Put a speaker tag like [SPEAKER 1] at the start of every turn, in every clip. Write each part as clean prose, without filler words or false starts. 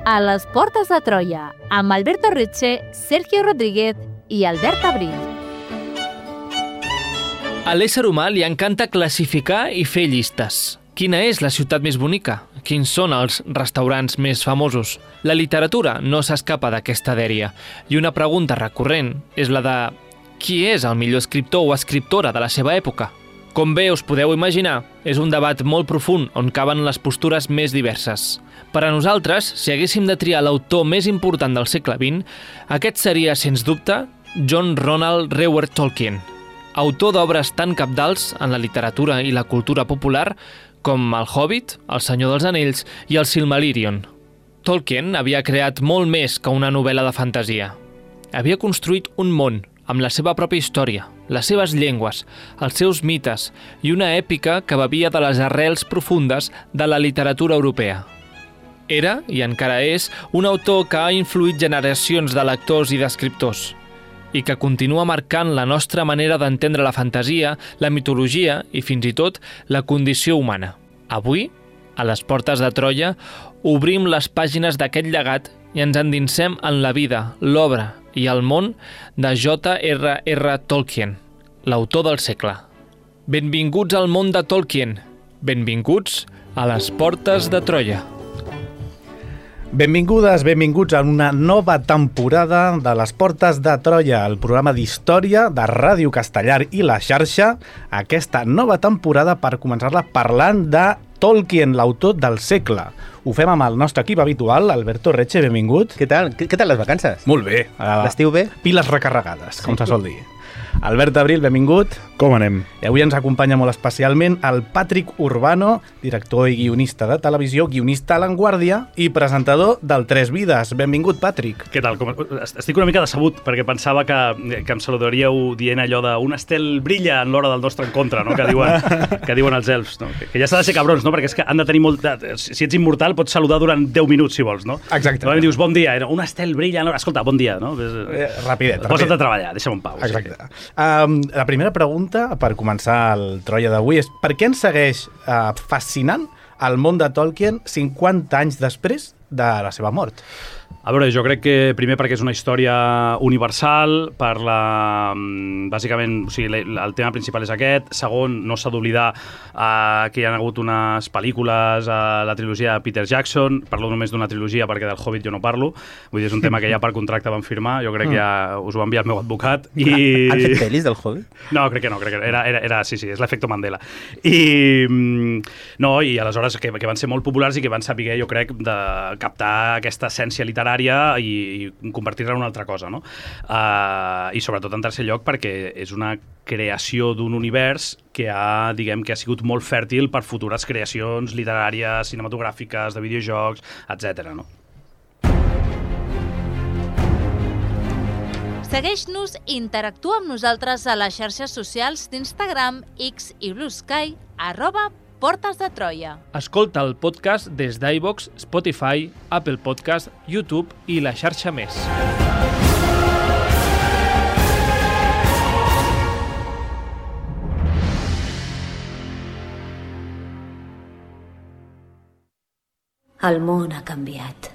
[SPEAKER 1] A les portes de Troia, amb Alberto Retxe, Sergio Rodríguez i Albert Abril.
[SPEAKER 2] A l'ésser humà li encanta classificar i fer llistes. Quina és la ciutat més bonica? Quins són els restaurants més famosos? La literatura no s'escapa d'aquesta dèria. I una pregunta recurrent és la de qui és el millor escriptor o escriptora de la seva època? Com bé us podeu imaginar, és un debat molt profund on caben les postures més diverses. Per a nosaltres, si haguéssim de triar l'autor més important del segle XX, aquest seria, sens dubte, John Ronald Reuel Tolkien, autor d'obres tan cabdals en la literatura i la cultura popular com El Hobbit, El Senyor dels Anells i El Silmarillion. Tolkien havia creat molt més que una novel·la de fantasia. Havia construït un món amb la seva pròpia història, les seves llengües, els seus mites i una èpica que bevia de les arrels profundes de la literatura europea. Era, i encara és, un autor que ha influït generacions de lectors i d'escriptors i que continua marcant la nostra manera d'entendre la fantasia, la mitologia i, fins i tot, la condició humana. Avui, a les portes de Troia, obrim les pàgines d'aquest llegat i ens endinsem en la vida, l'obra i el món de J.R.R. Tolkien, l'autor del segle. Benvinguts al món de Tolkien. Benvinguts a les portes de Troia.
[SPEAKER 3] Benvingudes, benvinguts a una nova temporada de les Portes de Troia, el programa d'història de Ràdio Castellar i la xarxa. Aquesta nova temporada per començar-la parlant de Tolkien, l'autor del segle. Ho fem amb el nostre equip habitual, Alberto Retxe, benvingut.
[SPEAKER 4] Què tal les vacances?
[SPEAKER 3] Molt bé.
[SPEAKER 4] L'estiu bé?
[SPEAKER 3] Piles recarregades, com se sol dir. Albert Abril, benvingut.
[SPEAKER 5] Com anem?
[SPEAKER 3] I avui ens acompanya molt especialment el Patrick Urbano, director i guionista de televisió, guionista a l'Anguàrdia i presentador del Tres Vides. Benvingut, Patrick.
[SPEAKER 5] Què tal? Estic una mica decebut perquè pensava que em saludaríeu dient allò de un estel brilla en l'hora del nostre encontre, no? que diuen els elfs. No? Que ja s'ha de ser cabrons, no? Perquè és que han de tenir molt... Si ets immortal pots saludar durant 10 minuts, si vols, no?
[SPEAKER 3] Exacte.
[SPEAKER 5] Normalment dius bon dia, un estel brilla en l'hora... Escolta, bon dia, no?
[SPEAKER 3] Rapidet.
[SPEAKER 5] Posa't a treballar, deixa'm en pau.
[SPEAKER 3] Exacte. La primera pregunta, per començar el Troia d'avui, és per què ens segueix fascinant el món de Tolkien 50 anys després de la seva mort?
[SPEAKER 5] A veure, jo crec que primer perquè és una història universal, bàsicament, o sigui, el tema principal és aquest. Segon, no s'ha d'oblidar que hi ha hagut unes pel·lícules a la trilogia de Peter Jackson. Parlo només d'una trilogia perquè del Hobbit jo no parlo. Vull dir, és un tema que ja per contracte van firmar. Jo crec que ja us ho va enviar el meu advocat.
[SPEAKER 4] Han fet pel·lis del Hobbit?
[SPEAKER 5] No, crec que no. Sí, és l'efecte Mandela. I aleshores que van ser molt populars i que van saber, jo crec, de captar aquesta essència literària i convertir-la en una altra cosa, no? I sobretot en tercer lloc perquè és una creació d'un univers que ha sigut molt fèrtil per futures creacions literàries, cinematogràfiques, de videojocs, etc. no?
[SPEAKER 1] Segueix-nos i interactua amb nosaltres a les xarxes socials d'Instagram, X i Blue Sky, @Portes de Troia.
[SPEAKER 2] Escolta el podcast des d'iVoox, Spotify, Apple Podcast, YouTube i la xarxa més.
[SPEAKER 6] El món ha canviat.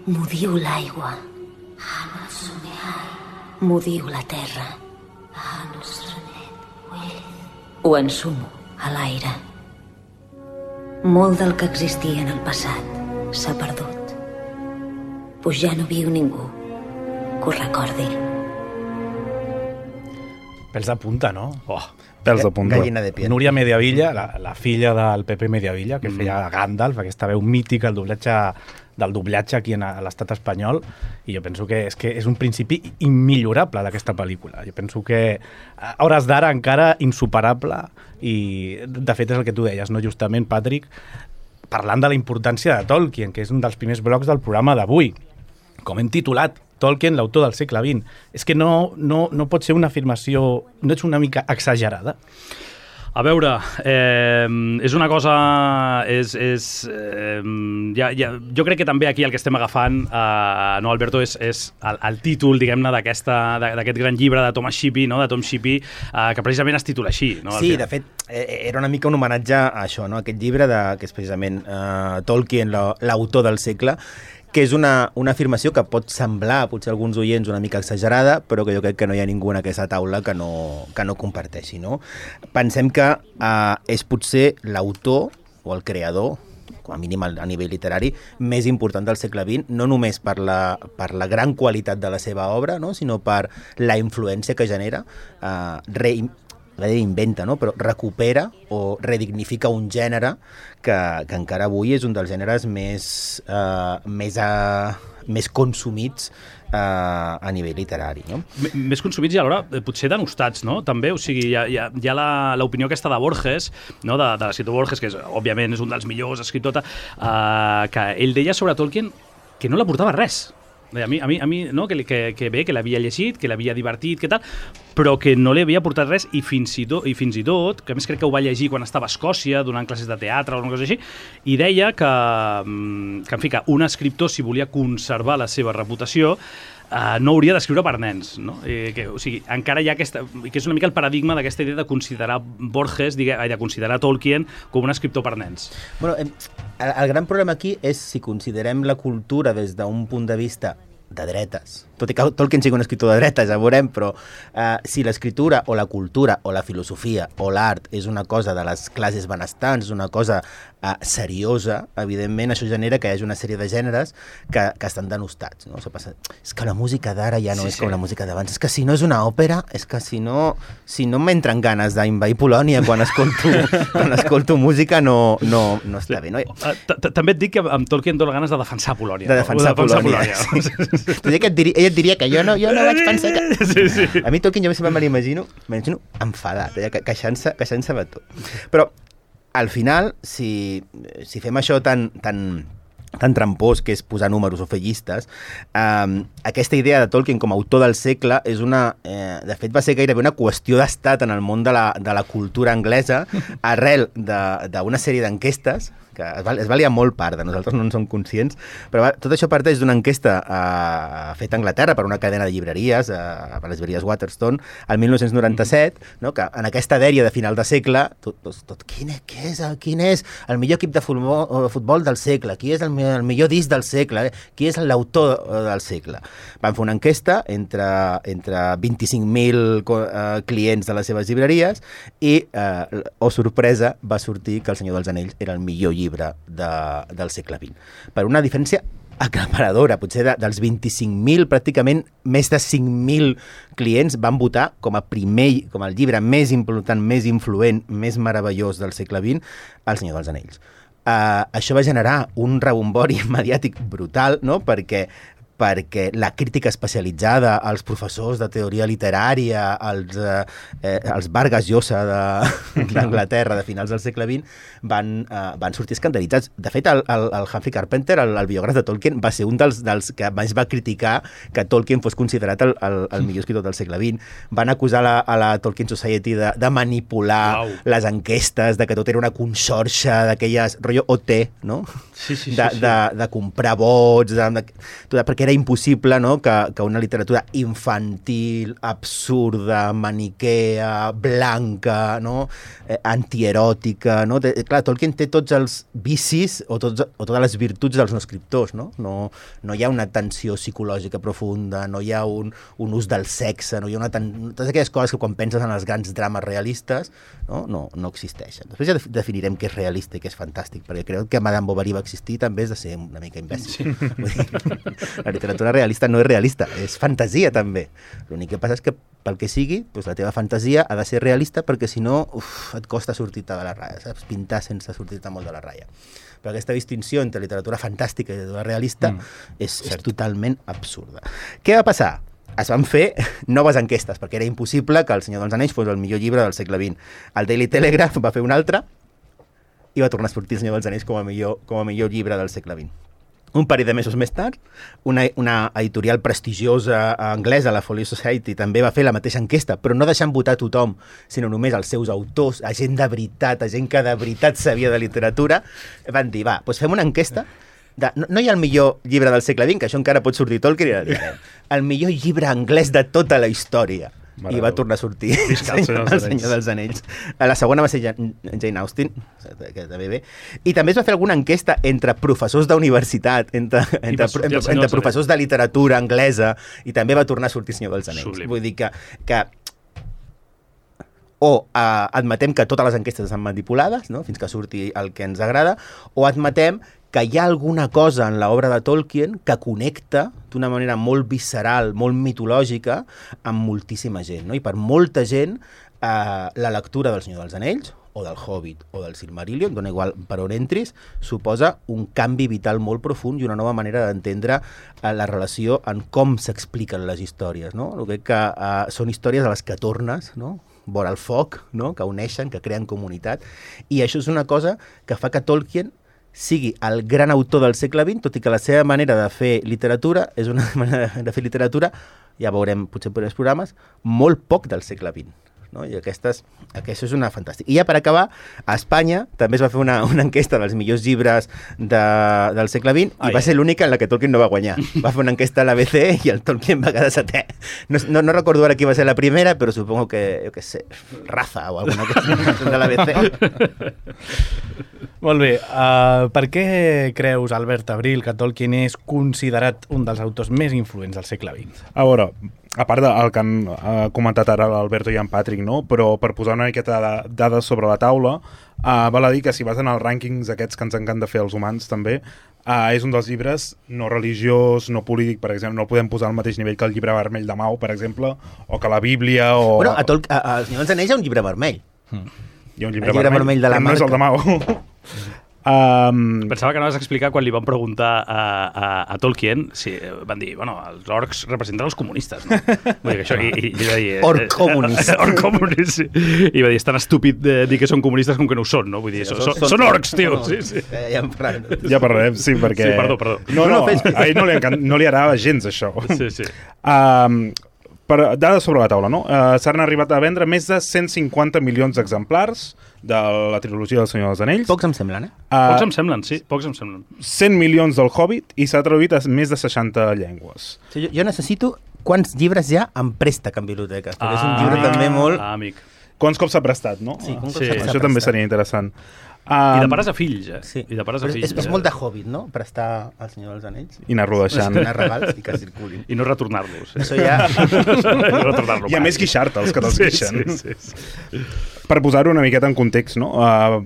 [SPEAKER 6] M'ho diu l'aigua. M'ho diu la terra. Ho ensumo a l'aire. Molt del que existia en el passat s'ha perdut. Pues ja no viu ningú que ho recordi.
[SPEAKER 3] Pèls de punta, no?
[SPEAKER 5] Pèls de punta.
[SPEAKER 4] Gallina de piel.
[SPEAKER 3] Núria Mediavilla, la filla del Pepe Mediavilla, que feia Gandalf, aquesta veu mítica, el doblatge aquí a l'estat espanyol, i jo penso que és un principi immillorable d'aquesta pel·lícula. Jo penso que a hores d'ara encara insuperable, i de fet és el que tu deies, no? Justament, Patrick, parlant de la importància de Tolkien, que és un dels primers blocs del programa d'avui. Com hem titulat, Tolkien, l'autor del segle XX. És que no pot ser una afirmació, no és una mica exagerada?
[SPEAKER 5] A veure, és una cosa... jo crec que també aquí el que estem agafant, no, Alberto, és el títol, diguem-ne, d'aquest gran llibre de Thomas Shippey, no? De Tom Shippey, que precisament es titula així. No?
[SPEAKER 4] Sí, de fet, era una mica un homenatge a això, no? Aquest llibre, que és precisament Tolkien, l'autor del segle, que és una afirmació que pot semblar, potser a alguns oients, una mica exagerada, però que jo crec que no hi ha ningú en aquesta taula que no comparteixi, no? Pensem que és potser l'autor o el creador, com a mínim a nivell literari, més important del segle XX, no només per la gran qualitat de la seva obra, no? Sinó per la influència que genera, inventa, no? Però recupera o redignifica un gènere que encara avui és un dels gèneres més consumits a nivell literari, no?
[SPEAKER 5] Més consumits i alhora potser denostats, no? També, o sigui, hi ha l'opinió aquesta de Borges, no? De l'escriptor Borges, que òbviament és un dels millors escriptors, que ell deia sobre Tolkien que no l'aportava res. A mi no? que bé, que l'havia llegit, que l'havia divertit, que tal, però que no li havia aportat res i fins i tot, que a més crec que ho va llegir quan estava a Escòcia, donant classes de teatre o una cosa així, i deia que en fi, que un escriptor, si volia conservar la seva reputació, no hauria d'escriure per nens, no? O sigui, encara hi ha aquesta... que és una mica el paradigma d'aquesta idea de considerar Borges, de considerar Tolkien com un escriptor per nens.
[SPEAKER 4] Bueno, el gran problema aquí és si considerem la cultura des d'un punt de vista de dretes, tot i que Tolkien sigui un escriptor de dretes, ja veurem, però si l'escriptura o la cultura o la filosofia o l'art és una cosa de les classes benestants, és una cosa seriosa, evidentment això genera que hi hagi una sèrie de gèneres que estan denostats, no? És que la música d'ara ja no és com la música d'abans, és que si no és una òpera, és que si no m'entren ganes d'invair Polònia quan escolto música no està bé, no?
[SPEAKER 5] També et dic que amb Tolkien dono ganes de defensar Polònia.
[SPEAKER 4] De defensar Polònia. Ella et diria que jo no vaig pensar que... Sí. A mi Tolkien jo sempre me l'imagino enfadat, queixant-se de tot. Però al final, si fem això tan trampós, que és posar números o fer llistes, aquesta idea de Tolkien com a autor del segle és de fet va ser gairebé una qüestió d'estat en el món de la cultura anglesa arrel d'una sèrie d'enquestes que es valia molt part de nosaltres, no en som conscients, però tot això parteix d'una enquesta feta a Anglaterra per una cadena de llibreries, per les llibreries Waterstone, el 1997, no? Que en aquesta dèria de final de segle, quin és el millor equip de futbol del segle, qui és el millor disc del segle, qui és l'autor del segle. Van fer una enquesta entre 25.000 clients de les seves llibreries i, sorpresa, va sortir que El Senyor dels Anells era el millor llibre del segle XX. Per una diferència aclaparadora, potser dels 25.000, pràcticament més de 5.000 clients van votar com el llibre més important, més influent, més meravellós del segle XX, El Senyor dels Anells. Això va generar un rebombori mediàtic brutal, no? Perquè la crítica especialitzada, els professors de teoria literària, els Vargas Llosa d'Anglaterra de finals del segle XX van sortir escandalitzats. De fet, el Humphrey Carpenter, el biògraf de Tolkien, va ser un dels que més va criticar que Tolkien fos considerat el millor escriptor del segle XX. Van acusar a la Tolkien Society de manipular les enquestes, de que tot era una conxorxa d'aquelles, rotllo OT, no? Sí. De comprar vots, perquè era impossible, no? que una literatura infantil, absurda, maniquea, blanca, no? Antieròtica, no? Clar, Tolkien té tots els vicis o totes les virtuts dels no escriptors, no? No hi ha una tensió psicològica profunda, no hi ha un ús del sexe, no hi ha totes aquelles coses que quan penses en els grans drames realistes no existeixen. Després ja definirem què és realista i què és fantàstic, perquè crec que Madame Bovary va existir també és de ser una mica imbècil. Sí. Vull dir, la literatura realista no és realista, és fantasia també. L'únic que passa és que pel que sigui, doncs la teva fantasia ha de ser realista perquè si no et costa sortir-te de la ratlla, saps? Pintar sense sortir-te molt de la ratlla. Però aquesta distinció entre literatura fantàstica i literatura realista és totalment absurda. Què va passar? Es van fer noves enquestes, perquè era impossible que El Senyor dels Anells fos el millor llibre del segle XX. El Daily Telegraph va fer un altre i va tornar a sortir El Senyor dels Anells com a millor llibre del segle XX. Un parell de mesos més tard, una editorial prestigiosa anglesa, la Folio Society, també va fer la mateixa enquesta, però no deixant votar a tothom, sinó només els seus autors, a gent de veritat, a gent que de veritat sabia de literatura, van dir, doncs fem una enquesta no hi ha el millor llibre del segle XX, que això encara pot sortir Tolkien, i el millor llibre anglès de tota la història. I va tornar a sortir El Senyor dels Anells. La segona va ser Jane Austen, que també bé. I també es va fer alguna enquesta entre professors d'universitat, entre professors de literatura anglesa, i també va tornar a sortir El Senyor dels Anells. Sublim. Vull dir que o admetem que totes les enquestes estan manipulades, no? Fins que surti el que ens agrada, o admetem que hi ha alguna cosa en l'obra de Tolkien que connecta d'una manera molt visceral, molt mitològica, amb moltíssima gent. No? I per molta gent, la lectura del Senyor dels Anells, o del Hobbit, o del Silmarillion, dona igual per on entris, suposa un canvi vital molt profund i una nova manera d'entendre la relació en com s'expliquen les històries. No? Crec que són històries a les que tornes, no? Vora el foc, no? Que uneixen, que creen comunitat, i això és una cosa que fa que Tolkien sigui el gran autor del segle XX, tot i que la seva manera de fer literatura és una manera de fer literatura, ja veurem potser per els programes, molt poc del segle XX. No? I això és una fantàstica. I ja per acabar, a Espanya també es va fer una enquesta dels millors llibres del segle XX i va ser l'única en la que Tolkien no va guanyar. Va fer una enquesta a l'ABC i el Tolkien va quedar setè. No recordo ara qui va ser la primera, però supongo que, jo què sé, Raza o alguna cosa de l'ABC.
[SPEAKER 3] Molt bé. Per què creus, Albert Abril, que Tolkien és considerat un dels autors més influents del segle XX?
[SPEAKER 7] A veure, a part del que han comentat ara l'Alberto i en Patrick, no? Però per posar una miqueta de dades sobre la taula, val a dir que si vas en els rànquings aquests que ens encanta fer els humans també, és un dels llibres no religiós, no polític, per exemple, no el podem posar al mateix nivell que el llibre vermell de Mau, per exemple, o que la Bíblia, o...
[SPEAKER 4] Bueno, al Senyor dels Anells hi ha un llibre vermell.
[SPEAKER 7] Hi ha un llibre vermell de la marca. No és el de Mau.
[SPEAKER 5] Pensava que anaves a explicar quan li van preguntar a Tolkien, van dir, bueno, els orcs representen els comunistes, no? Vull dir que això, i va dir...
[SPEAKER 4] Orc comunist.
[SPEAKER 5] Orc comunist, sí. I va dir, és tan estúpid dir que són comunistes com que no ho són, no? Vull dir, són orcs, tio. Sí.
[SPEAKER 7] Ja parlarem, sí, perquè...
[SPEAKER 5] Sí, perdó.
[SPEAKER 7] No, a ell no li agrada gens, això.
[SPEAKER 5] Sí.
[SPEAKER 7] Per dades sobre la taula, no? S'han arribat a vendre més de 150 milions d'exemplars de la trilogia del Senyor dels Anells.
[SPEAKER 4] Pocs em semblen,
[SPEAKER 5] Pocs em semblen, sí. Pocs em semblen.
[SPEAKER 7] 100 milions del Hobbit i s'ha traduït a més de 60 llengües.
[SPEAKER 4] Jo necessito quants llibres hi ha en préstec en biblioteques, perquè és un llibre també molt...
[SPEAKER 5] Amic.
[SPEAKER 7] Quants cops s'ha prestat, no?
[SPEAKER 4] Sí,
[SPEAKER 7] això també seria interessant.
[SPEAKER 5] I de pares a fills,
[SPEAKER 4] Sí.
[SPEAKER 5] I de pares a fills.
[SPEAKER 4] És molt de Hobbit, no? Prestar al Senyor dels Anells.
[SPEAKER 7] I anar-lo deixant.
[SPEAKER 4] Donar regals i que circulin.
[SPEAKER 5] I no retornar-los.
[SPEAKER 4] Això ja...
[SPEAKER 5] no retornar-lo.
[SPEAKER 7] I a més guixar-te'ls, que te'ls guixen.
[SPEAKER 5] Sí.
[SPEAKER 7] Per posar-ho una miqueta en context, no?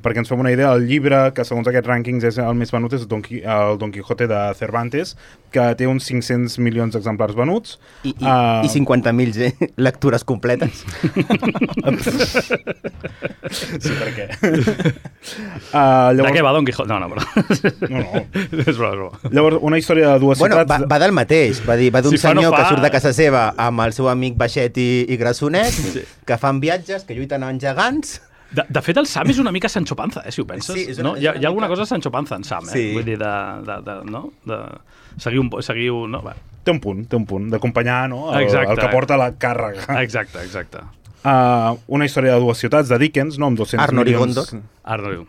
[SPEAKER 7] Perquè ens fem una idea, el llibre que segons aquests rànquings és el més venut és el Don Quijote de Cervantes, que té uns 500 milions d'exemplars venuts.
[SPEAKER 4] I 50.000 lectures completes.
[SPEAKER 7] Sí, per què?
[SPEAKER 5] Llavors... De què va Don Quijote? No.
[SPEAKER 7] No.
[SPEAKER 5] És broma.
[SPEAKER 7] Llavors, una història de dues ciutats...
[SPEAKER 4] Va del mateix. Va d'un senyor que surt de casa seva amb el seu amic Baixet i Grassonet, que fan viatges, que lluiten amb gegants...
[SPEAKER 5] De fet, el Sam és una mica Sancho Panza, si ho penses. Sí, no? Hi ha alguna cosa Sancho Panza en Sam,
[SPEAKER 4] sí.
[SPEAKER 5] Vull dir, no? De seguir un... No?
[SPEAKER 7] Té un punt, d'acompanyar, no? El que porta la càrrega.
[SPEAKER 5] Exacte.
[SPEAKER 7] Una història de dues ciutats, de Dickens, no? Amb 200 milions...
[SPEAKER 5] Arnor.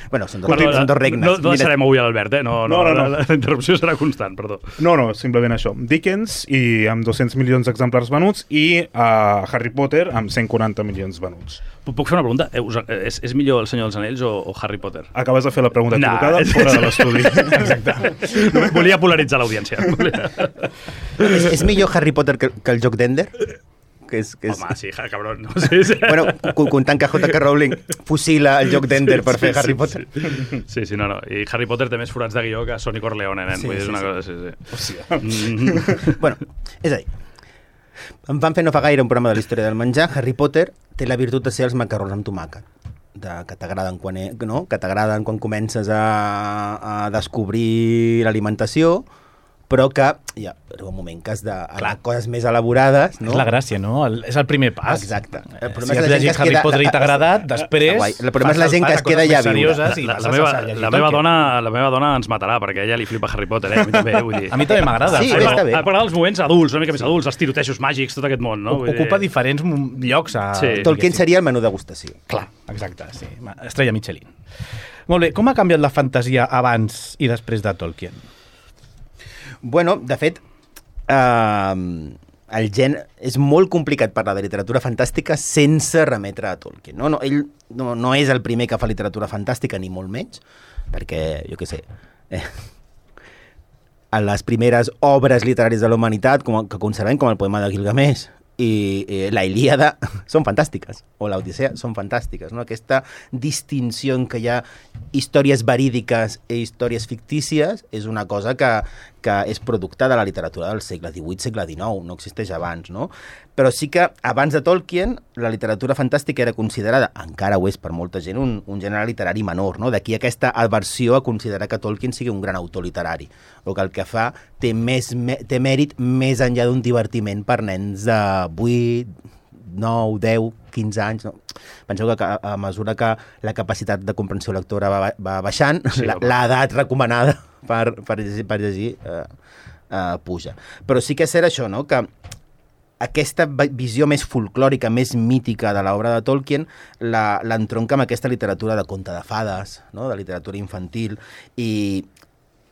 [SPEAKER 4] Bueno, són dos regnes.
[SPEAKER 5] No deixarem avui a l'Albert, No. La interrupció serà constant, perdó.
[SPEAKER 7] No, simplement això. Dickens, i amb 200 milions d'exemplars venuts, i Harry Potter, amb 140 milions venuts.
[SPEAKER 5] Puc fer una pregunta? És millor El Senyor dels Anells o Harry Potter?
[SPEAKER 7] Acabes de fer la pregunta equivocada fora de l'estudi.
[SPEAKER 5] Exacte. Volia polaritzar l'audiència.
[SPEAKER 4] És millor Harry Potter que el joc d'Ender?
[SPEAKER 5] Home, sí, cabron. No? Sí.
[SPEAKER 4] Bueno, comptant que J.K. Rowling fusila el joc d'Ender per fer Harry Potter.
[SPEAKER 5] Sí, no. I Harry Potter té més forats de guió que Sonny Corleone, nen. Vull dir, és una cosa... Sí.
[SPEAKER 4] Bueno, és a dir, em van fer no fa gaire un programa de la història del menjar. Harry Potter té la virtut de ser els macarrons amb tomàquet, que t'agraden quan comences a descobrir l'alimentació, però que hi ha un moment que has d'anar a coses més elaborades, no?
[SPEAKER 3] És la gràcia, no? És el primer pas.
[SPEAKER 4] Exacte. El
[SPEAKER 3] Si has llegit Harry Potter i t'ha agradat, després...
[SPEAKER 4] El problema és la gent que es queda ja a viure.
[SPEAKER 5] La meva dona ens matarà, perquè a ella li flipa Harry Potter, a mi també, vull dir.
[SPEAKER 3] A mi també m'agrada.
[SPEAKER 4] Sí, està bé.
[SPEAKER 5] M'agrada els moments adults, una mica més adults, els tirotejos màgics, tot aquest món, no?
[SPEAKER 3] Ocupa diferents llocs.
[SPEAKER 4] Tolkien seria el menú degustació.
[SPEAKER 3] Clar, exacte, sí. Estrella Michelin. Molt bé, com ha canviat la fantasia abans i després de Tolkien?
[SPEAKER 4] Bueno, de fet, el és molt complicat parlar de literatura fantàstica sense remetre a Tolkien. Ell no és el primer que fa literatura fantàstica, ni molt menys, perquè, jo què sé, a les primeres obres literàries de la humanitat, que conservem, com el poema de Gilgamesh i la Ilíada, són fantàstiques, o l'Odissea són fantàstiques, no? Aquesta distinció en què hi ha històries verídiques i històries fictícies és una cosa que és producte de la literatura del segle XVIII, segle XIX, no existeix abans, no? Però sí que abans de Tolkien la literatura fantàstica era considerada, encara ho és per molta gent, un gènere literari menor, no? D'aquí aquesta aversió a considerar que Tolkien sigui un gran autor literari, o que el que fa té mèrit més enllà d'un divertiment per nens de 8, 9, 10, 15 anys. No? Penseu que a mesura que la capacitat de comprensió lectora va baixant, sí, l'edat recomanada per llegir puja. Però sí que és cert això, no? Que aquesta visió més folclòrica, més mítica de l'obra de Tolkien l'entronca amb aquesta literatura de conte de fades, no? De literatura infantil,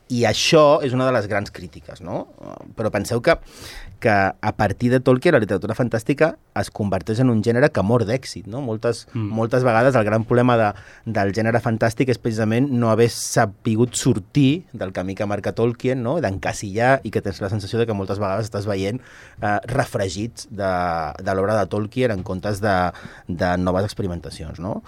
[SPEAKER 4] i això és una de les grans crítiques, no? Però penseu que a partir de Tolkien la literatura fantàstica es converteix en un gènere que mor d'èxit, no? Moltes vegades el gran problema del gènere fantàstic és precisament no haver sapigut sortir del camí que marca Tolkien, no? D'encasillar, i que tens la sensació de que moltes vegades estàs veient refregits de l'obra de Tolkien en comptes de noves experimentacions, no?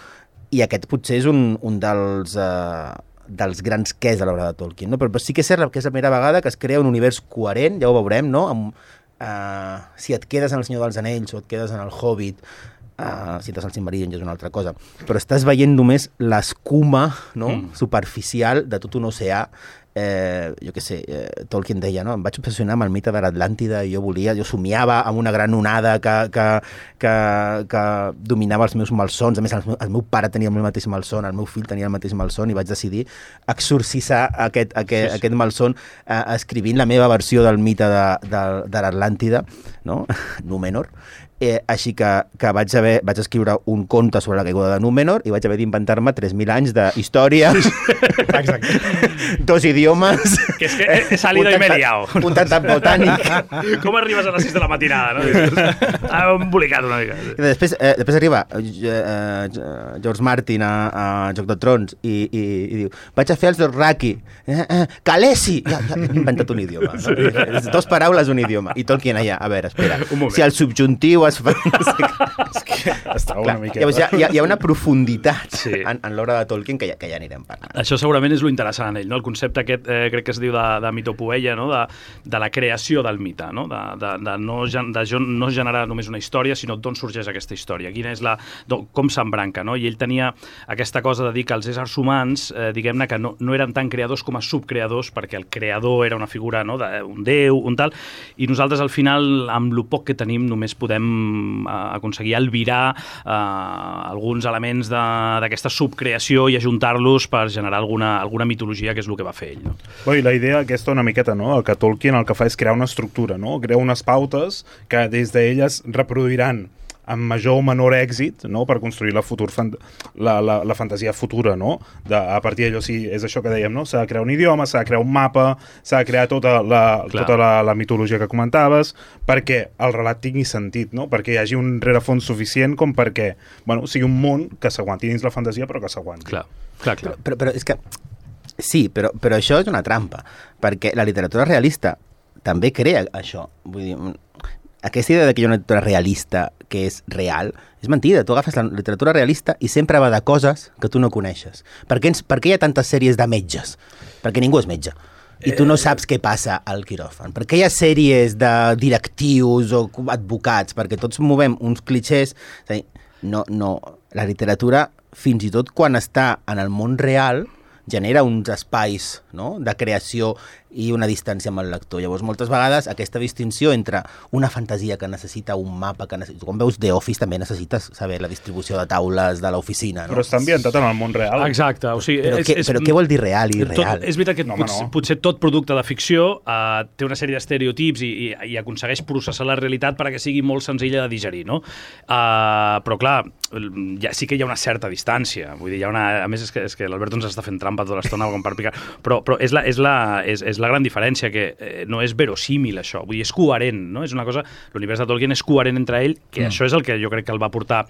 [SPEAKER 4] I aquest potser és un dels grans quès de l'obra de Tolkien, no? Però sí que és cert que és la primera vegada que es crea un univers coherent, ja ho veurem, no? Si et quedes en El Senyor dels Anells o et quedes en El Hobbit, si estàs al Silmarillion ja és una altra cosa, però estàs veient només l'escuma, no? Superficial de tot un oceà. Jo què sé, Tolkien deia, no? Em vaig obsessionar amb el mite de l'Atlàntida i jo somiava amb una gran onada que dominava els meus malsons. A més, el meu pare tenia el mateix malson, el meu fill tenia el mateix malson, i vaig decidir exorcitzar aquest malson escrivint la meva versió del mite de l'Atlàntida, no? Númenor. Així que vaig escriure un conte sobre la caiguda de Númenor i vaig haver d'inventar-me 3.000 anys d'història, 2 idiomes,
[SPEAKER 5] que he salido y me he liado,
[SPEAKER 4] un tractat botànic.
[SPEAKER 5] Com arribes a les 6 de la matinada, no? Ha embolicat una mica.
[SPEAKER 4] I després arriba George Martin a Joc de Trons i diu, vaig a fer els Dothraki, Khaleesi, ja he inventat un idioma, no? 2 paraules, un idioma. I Tolkien allà, a veure, espera, si el subjuntiu es fa...
[SPEAKER 7] És que estava una miqueta...
[SPEAKER 4] Llavors hi ha una profunditat en l'obra de Tolkien que ja anirem parlant.
[SPEAKER 5] Això segurament és lo interessant en ell, no? El concepte aquest, crec que es diu de mitopoeia, no? De la creació del mite, no? De no generar només una història, sinó d'on sorgeix aquesta història, quina és com s'embranca, no? I ell tenia aquesta cosa de dir que els éssers humans, diguem-ne, que no eren tan creadors com a subcreadors, perquè el creador era una figura, no? Un déu, un tal, i nosaltres al final, amb lo poc que tenim, només podem aconseguir albirar alguns elements d'aquesta subcreació i ajuntar-los per generar alguna mitologia, que és el que va fer ell, no?
[SPEAKER 7] I la idea aquesta una miqueta, no? Que Tolkien el que fa és crear una estructura, no? Crea unes pautes que des d'elles reproduiran amb major o menor èxit, no? Per construir la fantasia futura, no? A partir d'allò, sí, és això que dèiem, no? S'ha de crear un idioma, s'ha de crear un mapa, s'ha de crear tota la mitologia que comentaves, perquè el relat tingui sentit, no? Perquè hi hagi un rerefons suficient com perquè, sigui un món que s'aguanti dins la fantasia, però que s'aguanti.
[SPEAKER 5] Clar.
[SPEAKER 4] Però és que... Sí, però això és una trampa, perquè la literatura realista també crea això. Vull dir, aquesta idea que hi ha una literatura realista que és real, és mentida. Tu agafes la literatura realista i sempre va de coses que tu no coneixes. Per què hi ha tantes sèries de metges? Perquè ningú és metge. I tu no saps què passa al quiròfan. Per què hi ha sèries de directius o advocats? Perquè tots movem uns clixés. És a dir, no. La literatura, fins i tot quan està en el món real, genera uns espais, no? De creació i una distància amb el lector. Llavors, moltes vegades, aquesta distinció entre una fantasia que necessita un mapa, quan veus The Office també necessites saber la distribució de taules de l'oficina, no?
[SPEAKER 7] Però està ambientat en el món real.
[SPEAKER 5] Exacte, o sigui...
[SPEAKER 4] Però què vol dir real i real?
[SPEAKER 5] És veritat que potser tot producte de ficció té una sèrie d'estereotips i aconsegueix processar la realitat perquè sigui molt senzilla de digerir, no? Però clar, sí que hi ha una certa distància, vull dir, a més és que l'Alberto ens està fent trampa tota l'estona com per picar, però és la gran diferència, que no és verosímil això, vull dir, és coherent, no? És una cosa, l'univers de Tolkien és coherent entre ell, que això és el que jo crec que el va portar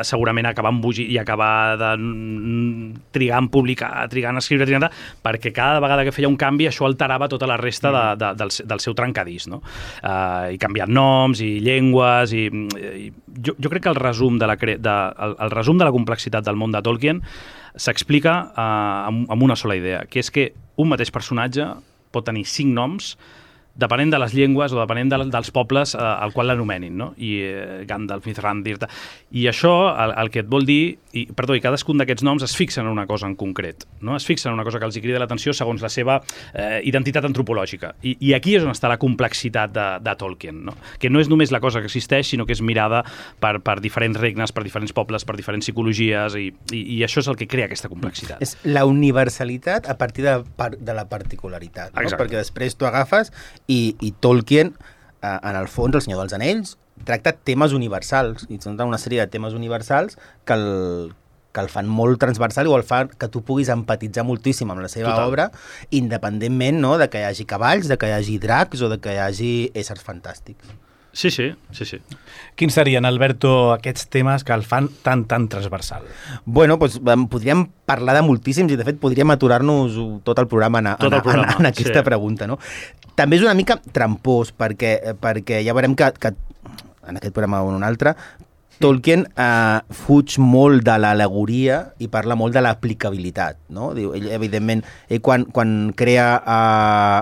[SPEAKER 5] segurament a acabar embogir i acabar trigant a publicar, trigant a escriure, perquè cada vegada que feia un canvi això alterava tota la resta del seu trencadís, no? I canviant noms i llengües i jo crec que el resum de la complexitat del món de Tolkien s'explica amb una sola idea, que és que un mateix personatge pot tenir 5 noms depenent de les llengües o depenent dels pobles al qual l'anomenin, no? I Gandalf, Mithrandir... I això el que et vol dir... I cadascun d'aquests noms es fixen en una cosa en concret, no? Es fixen en una cosa que els hi crida l'atenció segons la seva identitat antropològica. I aquí és on està la complexitat de Tolkien, no? Que no és només la cosa que existeix, sinó que és mirada per diferents regnes, per diferents pobles, per diferents psicologies, i això és el que crea aquesta complexitat.
[SPEAKER 4] És la universalitat a partir de la particularitat, no? Perquè després tu agafes i Tolkien, en el fons, El Senyor dels Anells, tracta temes universals, i són una sèrie de temes universals que el fan molt transversal i el fan que tu puguis empatitzar moltíssim amb la seva obra, independentment, no?, de que hi hagi cavalls, de que hi hagi dracs o de que hi hagi éssers fantàstics.
[SPEAKER 5] Sí.
[SPEAKER 3] Quins serien, Alberto, aquests temes que el fan tan transversal?
[SPEAKER 4] Bueno, doncs podríem parlar de moltíssims i, de fet, podríem aturar-nos tot el programa en aquesta pregunta, no? També és una mica trampós, perquè ja veurem que en aquest programa o en un altre, Tolkien fuig molt de l'al·legoria i parla molt de l'aplicabilitat, no? Diu, ell, evidentment, quan crea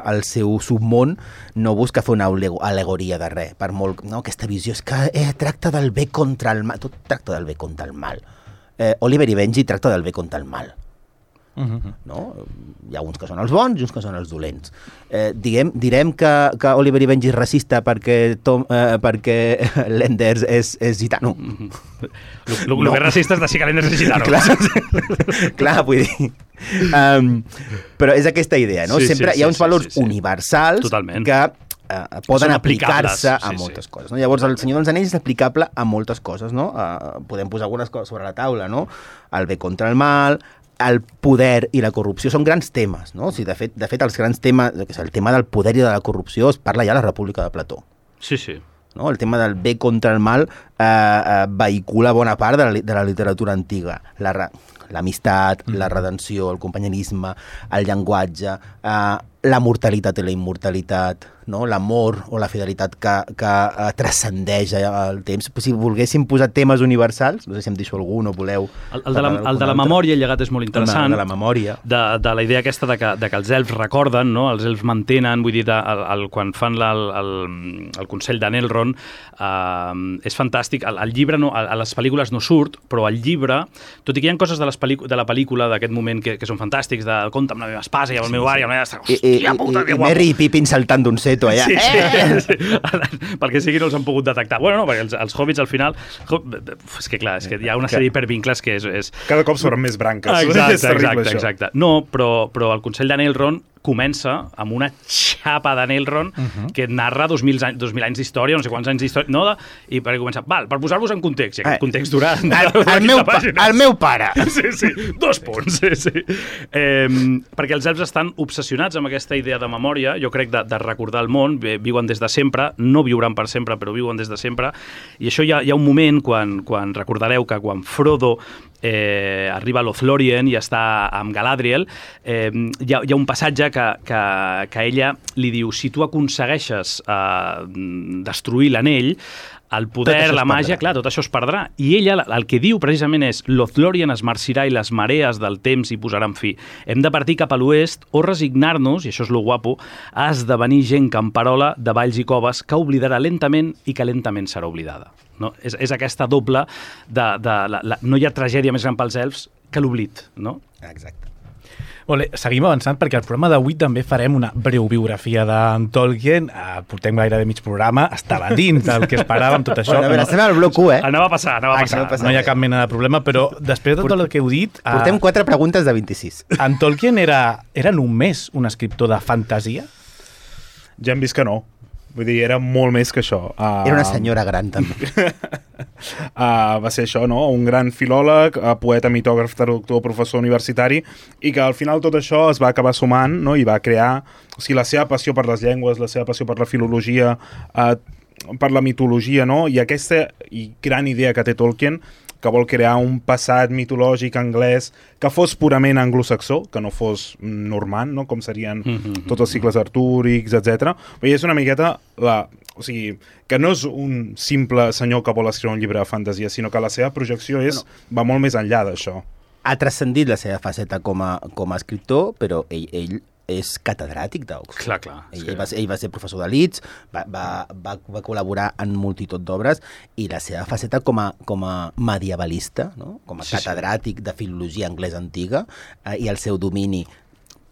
[SPEAKER 4] el seu submón no busca fer una al·legoria de res, per molt, no? Aquesta visió és que tracta del bé contra el mal, tot tracta del bé contra el mal. Oliver i Benji tracta del bé contra el mal. No? Hi ha uns que són els bons i uns que són els dolents. Direm que Oliver i Benji és racista perquè Lenders és gitano.
[SPEAKER 5] El més racista és dir que Lenders és gitano.
[SPEAKER 4] Clar, vull dir... però és aquesta idea, no? Sempre hi ha uns valors universals que poden aplicar-se a moltes coses, no? Llavors, El Senyor dels Anells és aplicable a moltes coses, no? Podem posar algunes coses sobre la taula, no? El bé contra el mal, el poder i la corrupció són grans temes, no? O sigui, de fet, els grans temes, el tema del poder i de la corrupció es parla ja a la República de Plató.
[SPEAKER 5] Sí.
[SPEAKER 4] No? El tema del bé contra el mal vehicula bona part de la literatura antiga. L'amistat, la redenció, el companyerisme, el llenguatge, la mortalitat i la immortalitat, no? L'amor o la fidelitat que transcendeix el temps. Si volguéssim posar temes universals, no sé si em deixo algun o voleu...
[SPEAKER 5] El de la memòria, el llegat és molt interessant.
[SPEAKER 4] El de la memòria.
[SPEAKER 5] De la idea aquesta de que els elfs recorden, no? Els elfs mantenen, vull dir, quan fan el Consell d'Anelrond, és fantàstic. El llibre, a les pel·lícules no surt, però el llibre, tot i que hi ha coses de la pel·lícula d'aquest moment que són fantàstics, de compta amb la meva espasa i amb el meu bar i amb la meva... Hòstia puta, que guapo! I
[SPEAKER 4] Merry i Pippin saltant d'un seto allà.
[SPEAKER 5] Sí. Perquè sigui no els han pogut detectar. Bueno, no, perquè els hobbits al final... És que clar, hi ha una sèrie d'hipervincles que és...
[SPEAKER 7] Cada cop s'obren més branques.
[SPEAKER 5] Exacte. No, però el Consell d'Anelrond comença amb una xapa d'Anelrond que narra 2.000 anys d'història, no sé quants anys d'història, no? I per començar, per posar-vos en context, i aquest context durà...
[SPEAKER 4] El meu pare!
[SPEAKER 5] Sí, 2 punts, sí. Perquè els elfs estan obsessionats amb aquesta idea de memòria, jo crec, de recordar el món, viuen des de sempre, no viuran per sempre, però viuen des de sempre, i això hi ha un moment, quan recordareu que quan Frodo arriba a Lothlórien i està amb Galadriel, hi ha un passatge que ella li diu, si tu aconsegueixes destruir l'anell, el poder, la màgia, clar, tot això es perdrà. I ella el que diu precisament és Lothlórien es marcirà i les marees del temps hi posaran fi. Hem de partir cap a l'oest o resignar-nos, i això és lo guapo, a esdevenir gent camperola de valls i coves que oblidarà lentament i que lentament serà oblidada. No? És aquesta doble no hi ha tragèdia més gran pels elfs que l'oblit, no?
[SPEAKER 4] Exacte.
[SPEAKER 3] Molt bé, seguim avançant perquè al programa d'avui també farem una breu biografia d'en Tolkien. Portem gairebé mig programa, estava dins del que esperàvem, tot això.
[SPEAKER 4] Bueno, a veure, estem al bloc 1,
[SPEAKER 5] Anava a passar.
[SPEAKER 3] Exacte, no hi ha cap mena de problema, però després de tot el que heu dit...
[SPEAKER 4] Portem 4 preguntes de 26.
[SPEAKER 3] En Tolkien era només un escriptor de fantasia?
[SPEAKER 7] Ja hem vist que no. Vull dir, era molt més que això.
[SPEAKER 4] Era una senyora gran, també.
[SPEAKER 7] Va ser això, no? Un gran filòleg, poeta, mitògraf, traductor, professor universitari, i que al final tot això es va acabar sumant, no? I va crear... O sigui, la seva passió per les llengües, la seva passió per la filologia, per la mitologia, no? I aquesta gran idea que té Tolkien, que vol crear un passat mitològic anglès que fos purament anglosaxó, que no fos normand, no? Com serien tots els cicles artúrics, etc. I és una miqueta o sigui, que no és un simple senyor que vol escriure un llibre de fantasia, sinó que la seva projecció va molt més enllà d'això.
[SPEAKER 4] Ha transcendit la seva faceta com a escriptor, però ell és catedràtic d'Oxford.
[SPEAKER 5] Clar.
[SPEAKER 4] Ell va ser professor de Leeds, va col·laborar en multitud d'obres, i la seva faceta com a medievalista, no? Com a catedràtic de filologia anglesa antiga, i el seu domini,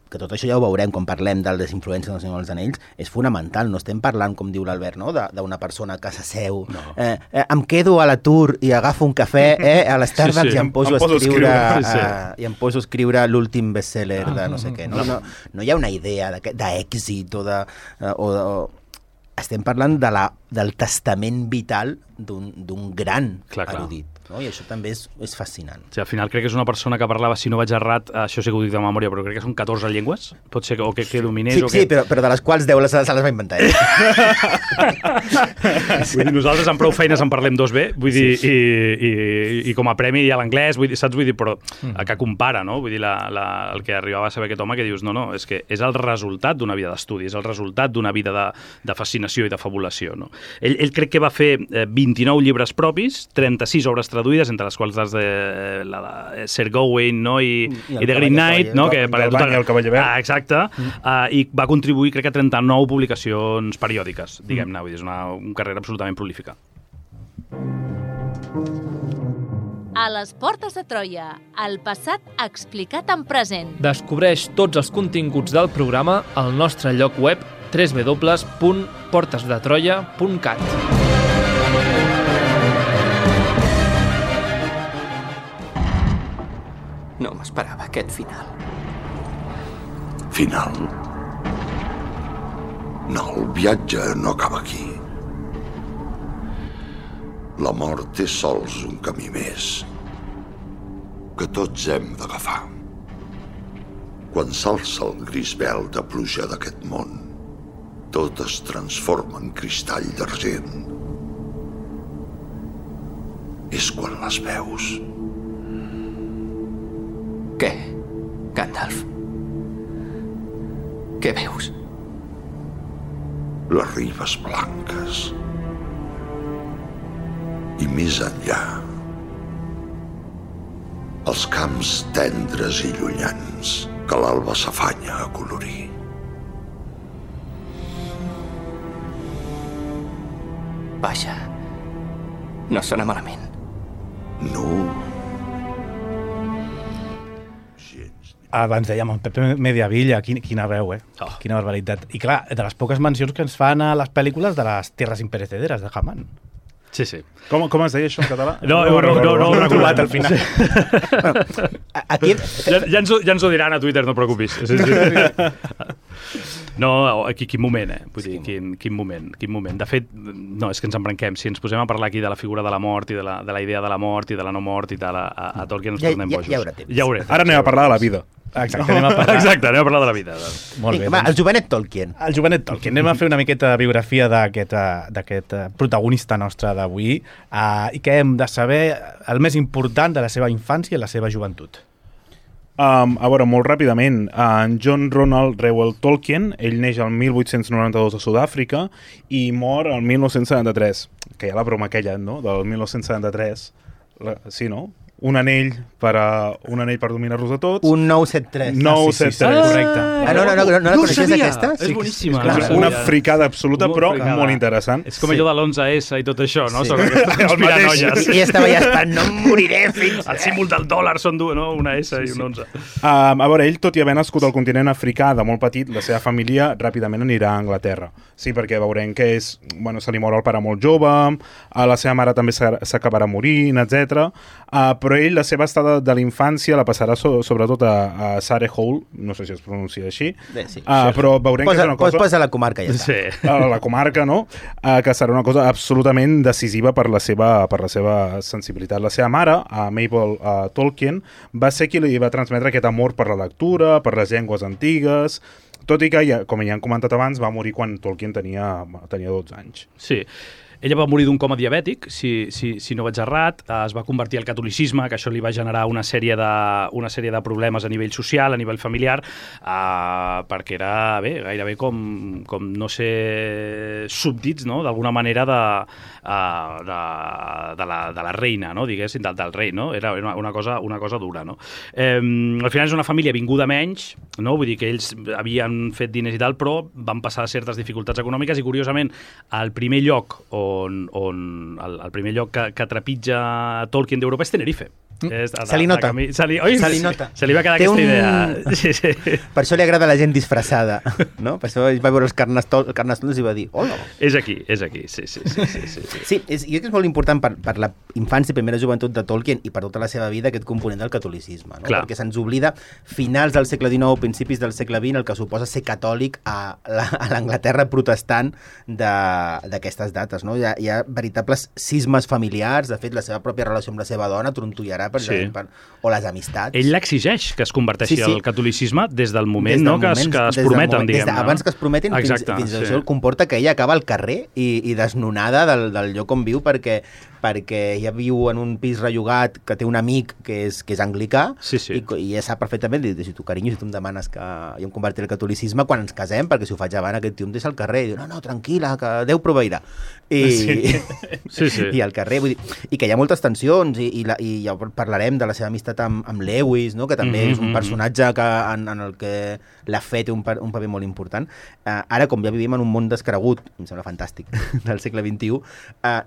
[SPEAKER 4] que tot això ja ho veurem quan parlem de les influències del Senyor dels Anells, és fonamental. No estem parlant, com diu l'Albert, no? d'una persona que s'asseu. No. Em quedo a l'atur i agafo un cafè a l'Starbucks i em poso a escriure l'últim bestseller de no sé què. No hi ha una idea d'èxit estem parlant del testament vital d'un gran erudit. No? I això també és fascinant.
[SPEAKER 5] Sí, al final crec que és una persona que parlava, si no vaig errat, això sí que ho dic de memòria, però crec que són 14 llengües, pot ser que dominés.
[SPEAKER 4] Sí, però de les quals 10 se les va inventar ell.
[SPEAKER 5] Vull dir, nosaltres amb prou feines en parlem 2 bé, vull dir, i com a premi hi ha l'anglès, saps? Vull dir, però que compara, no? Vull dir, el que arribava a saber aquest home, que dius, no, és que és el resultat d'una vida d'estudi, és el resultat d'una vida de fascinació i de fabulació, no? Ell crec que va fer 29 llibres propis, 36 obres traduïdes, entre les quals la de Sir Gawain, no? I The Green Knight, no?
[SPEAKER 7] El Cavaller Verd.
[SPEAKER 5] Exacte. I va contribuir, crec que, a 39 publicacions periòdiques, diguem-ne. Vull dir, és una carrera absolutament prolífica.
[SPEAKER 1] A les portes de Troia, el passat explicat en present.
[SPEAKER 2] Descobreix tots els continguts del programa al nostre lloc web www.portesdetroia.cat.
[SPEAKER 8] No m'esperava aquest final.
[SPEAKER 9] Final? No, el viatge no acaba aquí. La mort és sols un camí més que tots hem d'agafar. Quan s'alça el gris vel de pluja d'aquest món, tot es transforma en cristall d'argent. És quan les veus.
[SPEAKER 8] Què, Gandalf? Què veus?
[SPEAKER 9] Les ribes blanques. I més enllà, els camps tendres i llunyans que l'alba s'afanya a colorir.
[SPEAKER 8] Vaja, no sona malament.
[SPEAKER 9] No.
[SPEAKER 3] Abans dèiem, en Pepe Mediavilla, quina veu, Quina barbaritat. I clar, de les poques mencions que ens fan a les pel·lícules de les Tierras imperecederes de Hamann.
[SPEAKER 5] Sí.
[SPEAKER 7] Com es deia això en català?
[SPEAKER 5] No ho he trobat
[SPEAKER 3] al final.
[SPEAKER 4] Aquí...
[SPEAKER 5] Ja ens ho diran a Twitter, no et preocupis. Sí. No, quin moment, Vull dir, quin moment. De fet, no, és que ens embranquem. Si ens posem a parlar aquí de la figura de la mort i de la idea de la mort i de la no mort i tal, a Tolkien ens tornem bojos.
[SPEAKER 4] Ja haurà temps.
[SPEAKER 7] Ara anem a parlar de la vida.
[SPEAKER 3] Exacte, anem a parlar
[SPEAKER 5] de la vida.
[SPEAKER 3] Molt bé.
[SPEAKER 4] Va, el jovenet Tolkien.
[SPEAKER 3] Anem a fer una miqueta de biografia d'aquest protagonista nostre d'avui i que hem de saber el més important de la seva infància i la seva joventut.
[SPEAKER 7] A veure, molt ràpidament, en John Ronald Reuel Tolkien, ell neix el 1892 a Sud-àfrica i mor el 1973, que hi ha la broma aquella, no?, del 1973, sí, no? un anell per dominar-los a tots.
[SPEAKER 4] Un 973.
[SPEAKER 7] 973.
[SPEAKER 3] Correcte.
[SPEAKER 4] No la coneixies, aquesta?
[SPEAKER 5] És boníssima.
[SPEAKER 7] Una fricada absoluta, però molt interessant.
[SPEAKER 5] És com allò de l'11S i tot això, no? Sobre aquestes conspiranolles.
[SPEAKER 4] I estava ja esperant, no em moriré fins...
[SPEAKER 5] El símbol del dòlar són dues, no? Una S i un 11.
[SPEAKER 7] A veure, ell, tot i haver nascut al continent africà de molt petit, la seva família ràpidament anirà a Anglaterra. Sí, perquè veurem que se li mor el pare molt jove, la seva mare també s'acabarà morint, etc. Però ell, la seva estada de la infància la passarà sobretot a Surrey Hall, no sé si es pronuncia així,
[SPEAKER 4] sí.
[SPEAKER 7] però veurem que és una cosa...
[SPEAKER 4] Posa la comarca, ja està.
[SPEAKER 5] Sí.
[SPEAKER 7] La comarca, no? Que serà una cosa absolutament decisiva per la seva sensibilitat. La seva mare, Mabel Tolkien, va ser qui li va transmetre aquest amor per la lectura, per les llengües antigues, tot i que, com ja han comentat abans, va morir quan Tolkien tenia 12 anys.
[SPEAKER 5] Sí. Ella va morir d'un coma diabètic, si no vaig errat, es va convertir al catolicisme, que això li va generar una sèrie de problemes a nivell social, a nivell familiar, perquè era gairebé com no ser súbdits, no? D'alguna manera de la reina, no? Diguéssim, del rei, no? Era una cosa dura, no? Al final és una família vinguda menys, no? Vull dir que ells havien fet diners i tal, però van passar certes dificultats econòmiques i, curiosament, el primer lloc el primer lloc que trepitja Tolkien d'Europa és Tenerife.
[SPEAKER 4] Se li nota.
[SPEAKER 5] Se li va quedar aquesta idea. Sí.
[SPEAKER 4] Per això li agrada la gent disfressada, no? Per això ell va veure els carnestoltes i va dir, hola.
[SPEAKER 5] És aquí, sí.
[SPEAKER 4] Sí, jo crec que és molt important per la infància i primera joventut de Tolkien i per tota la seva vida aquest component del catolicisme, no? Perquè se'ns oblida finals del segle XIX, principis del segle XX, el que suposa ser catòlic a l'Anglaterra protestant d'aquestes dates, no? Hi ha veritables cismes familiars, de fet la seva pròpia relació amb la seva dona trontollarà o les amistats.
[SPEAKER 5] Ell l'exigeix que es converteixi al catolicisme des del moment que es prometen, diguem-ne.
[SPEAKER 4] Abans que es prometin, fins això comporta que ella acaba al carrer i desnonada del lloc on viu perquè ella viu en un pis rellogat que té un amic que és anglicà i ja sap perfectament, si tu, carinyo, si tu em demanes que jo em convertiré al catolicisme quan ens casem, perquè si ho faig abans aquest tio em deixa al carrer i diu, no, tranquil·la, que Déu proveirà. I al carrer, vull dir, i que hi ha moltes tensions i ja parlarem de la seva amistat amb Lewis, no? Que també és un personatge en el que la fe té un paper molt important. Ara, com ja vivim en un món descregut, em sembla fantàstic, del segle XXI,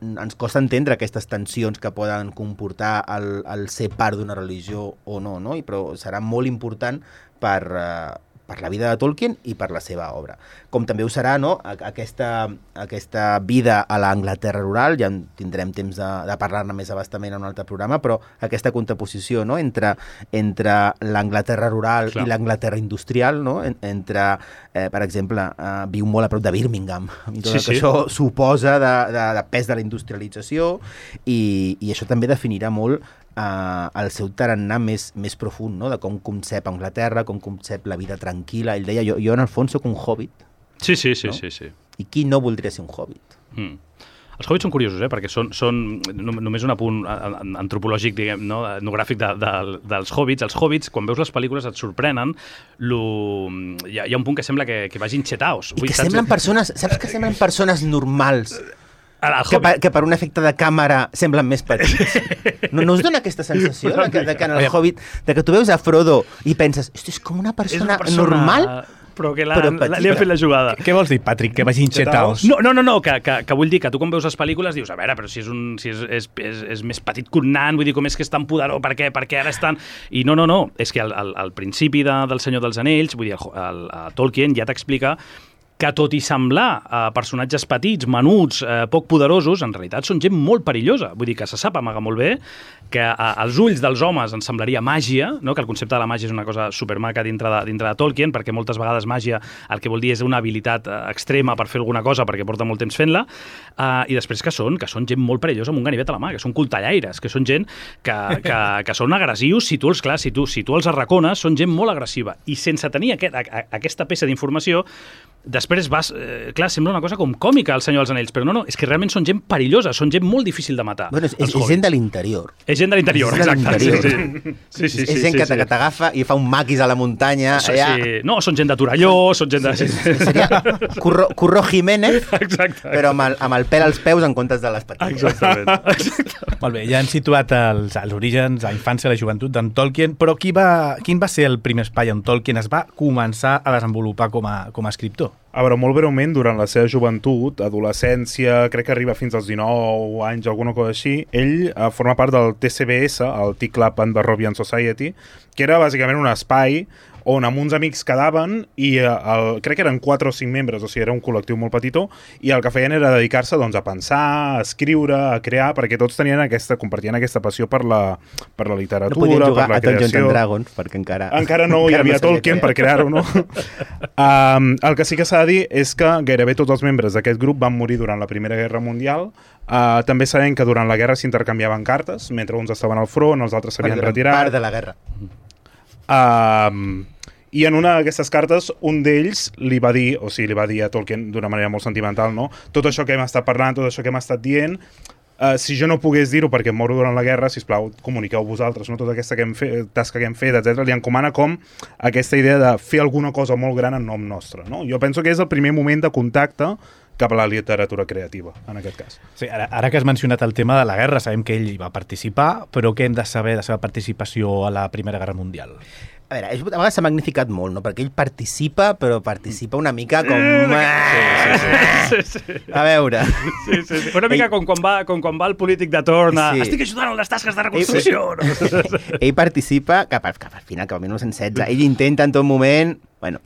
[SPEAKER 4] ens costa entendre aquestes tensions que poden comportar el ser part d'una religió o no? Però serà molt important per la vida de Tolkien i per la seva obra. Com també ho serà, no? aquesta vida a l'Anglaterra rural, ja tindrem temps de parlar-ne més abastament en un altre programa, però aquesta contraposició, no? entre l'Anglaterra rural i l'Anglaterra industrial, no? Per exemple, viu molt a prop de Birmingham, i tot que això suposa de pes de la industrialització, i això també definirà molt el seu tarannà més profund, no? De com concep Anglaterra, com concep la vida tranquil·la. Ell deia, jo en el fons soc un hobbit.
[SPEAKER 5] Sí.
[SPEAKER 4] I qui no voldria ser un hobbit?
[SPEAKER 5] Els hobbits són curiosos, perquè són només un apunt antropològic, diguem, no? Etnogràfic dels hobbits. Els hobbits, quan veus les pel·lícules, et sorprenen. Hi ha un punt que sembla que vagin xetaos.
[SPEAKER 4] I que semblen persones, saps que semblen persones normals? Que per un efecte de càmera semblen més petits. No us dona aquesta sensació que en el Hobbit, que tu veus a Frodo i penses, és com una persona normal,
[SPEAKER 5] però que li ha fet la jugada.
[SPEAKER 3] Què vols dir, Patrick, que vagin xetaos?
[SPEAKER 5] No, que vull dir que tu quan veus les pel·lícules dius, a veure, però si és més petit que un nan, vull dir, com és que és tan poderós, per què ara és tan... I no, és que al principi del Senyor dels Anells, vull dir, Tolkien ja t'explica que tot i semblar personatges petits, menuts, poc poderosos, en realitat són gent molt perillosa. Vull dir que se sap amagar molt bé, que als ulls dels homes ens semblaria màgia, no? Que el concepte de la màgia és una cosa supermaca dintre de Tolkien, perquè moltes vegades màgia el que vol dir és una habilitat extrema per fer alguna cosa, perquè porta molt temps fent-la, i després que són gent molt perillosa amb un ganivet a la mà, que són cultallaires, que són gent que són agressius, si tu els arracones, són gent molt agressiva. I sense tenir aquesta peça d'informació, després sembla una cosa com còmica el Senyor dels Anells, però no, és que realment són gent perillosa, són gent molt difícil de matar.
[SPEAKER 4] Bueno, és gent de l'interior.
[SPEAKER 5] És gent de l'interior,
[SPEAKER 4] És de
[SPEAKER 5] exacte.
[SPEAKER 4] l'interior.
[SPEAKER 5] Sí.
[SPEAKER 4] És gent que t'agafa i fa un maquis a la muntanya.
[SPEAKER 5] Sí. No, són gent de Torelló, són gent de...
[SPEAKER 4] Seria Curro Jiménez, però amb el pèl als peus en comptes de les patilles.
[SPEAKER 5] Exactament.
[SPEAKER 3] Molt bé, ja hem situat els orígens, la infància i la joventut d'en Tolkien, però quin va ser el primer espai on Tolkien es va començar a desenvolupar com a escriptor?
[SPEAKER 7] A veure, molt breument, durant la seva joventut, adolescència, crec que arriba fins als 19 anys, alguna cosa així, ell forma part del TCBS, el Tea Club and Barrovian Society, que era bàsicament un espai on amb uns amics quedaven i crec que eren 4 o 5 membres, o sigui, era un col·lectiu molt petitó, i el que feien era dedicar-se doncs, a pensar, a escriure, a crear, perquè tots compartien aquesta passió per la literatura,
[SPEAKER 4] no podien jugar
[SPEAKER 7] per la
[SPEAKER 4] a Dungeons
[SPEAKER 7] creació.
[SPEAKER 4] and Dragons, perquè encara
[SPEAKER 7] no hi havia Tolkien per crear-ho, no? El que sí que s'ha de dir és que gairebé tots els membres d'aquest grup van morir durant la Primera Guerra Mundial. També sabem que durant la guerra s'intercanviaven cartes, mentre uns estaven al front, els altres s'havien retirat.
[SPEAKER 4] Part de la guerra.
[SPEAKER 7] I en una d'aquestes cartes un d'ells li va dir a Tolkien d'una manera molt sentimental, no? Tot això que hem estat parlant, tot això que hem estat dient, si jo no pogués dir-ho perquè em moro durant la guerra, sisplau, comuniqueu vosaltres, no? Tota aquesta tasca que hem fet, etc. Li encomana com aquesta idea de fer alguna cosa molt gran en nom nostre, no? Jo penso que és el primer moment de contacte cap a la literatura creativa, en aquest cas.
[SPEAKER 3] Sí, ara que has mencionat el tema de la guerra, sabem que ell hi va participar, però què hem de saber de la seva participació a la Primera Guerra Mundial?
[SPEAKER 4] A veure, a vegades s'ha magnificat molt, no? Perquè ell participa, però participa una mica com...
[SPEAKER 5] Sí.
[SPEAKER 4] A veure...
[SPEAKER 5] Sí. Una mica com quan va el polític de torn a...
[SPEAKER 4] Sí.
[SPEAKER 5] Estic ajudant en les tasques de reconstrucció.
[SPEAKER 4] Ell participa cap al final, cap al 1916. Ell intenta en tot moment... Bueno,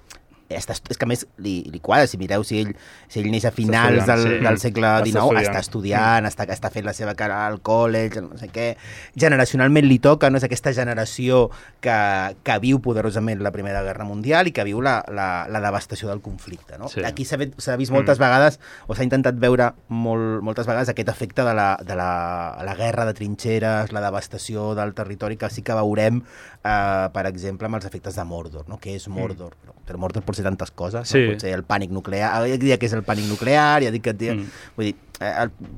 [SPEAKER 4] és que a més li quadra, si mireu, si ell neix a finals del segle XIX, està estudiant, està fent la seva cara al college, no sé què, generacionalment li toca, no és aquesta generació que viu poderosament la Primera Guerra Mundial i que viu la devastació del conflicte, no? Sí. Aquí s'ha vist moltes vegades, o s'ha intentat veure moltes vegades aquest efecte de la guerra de trinxeres, la devastació del territori, que sí que veurem, per exemple, amb els efectes de Mordor, no? Què és Mordor? Però Mordor pot ser tantes coses,
[SPEAKER 5] sí.
[SPEAKER 4] No? Pot ser el pànic nuclear, ja diria que és el pànic nuclear, ja dic que... Vull dir,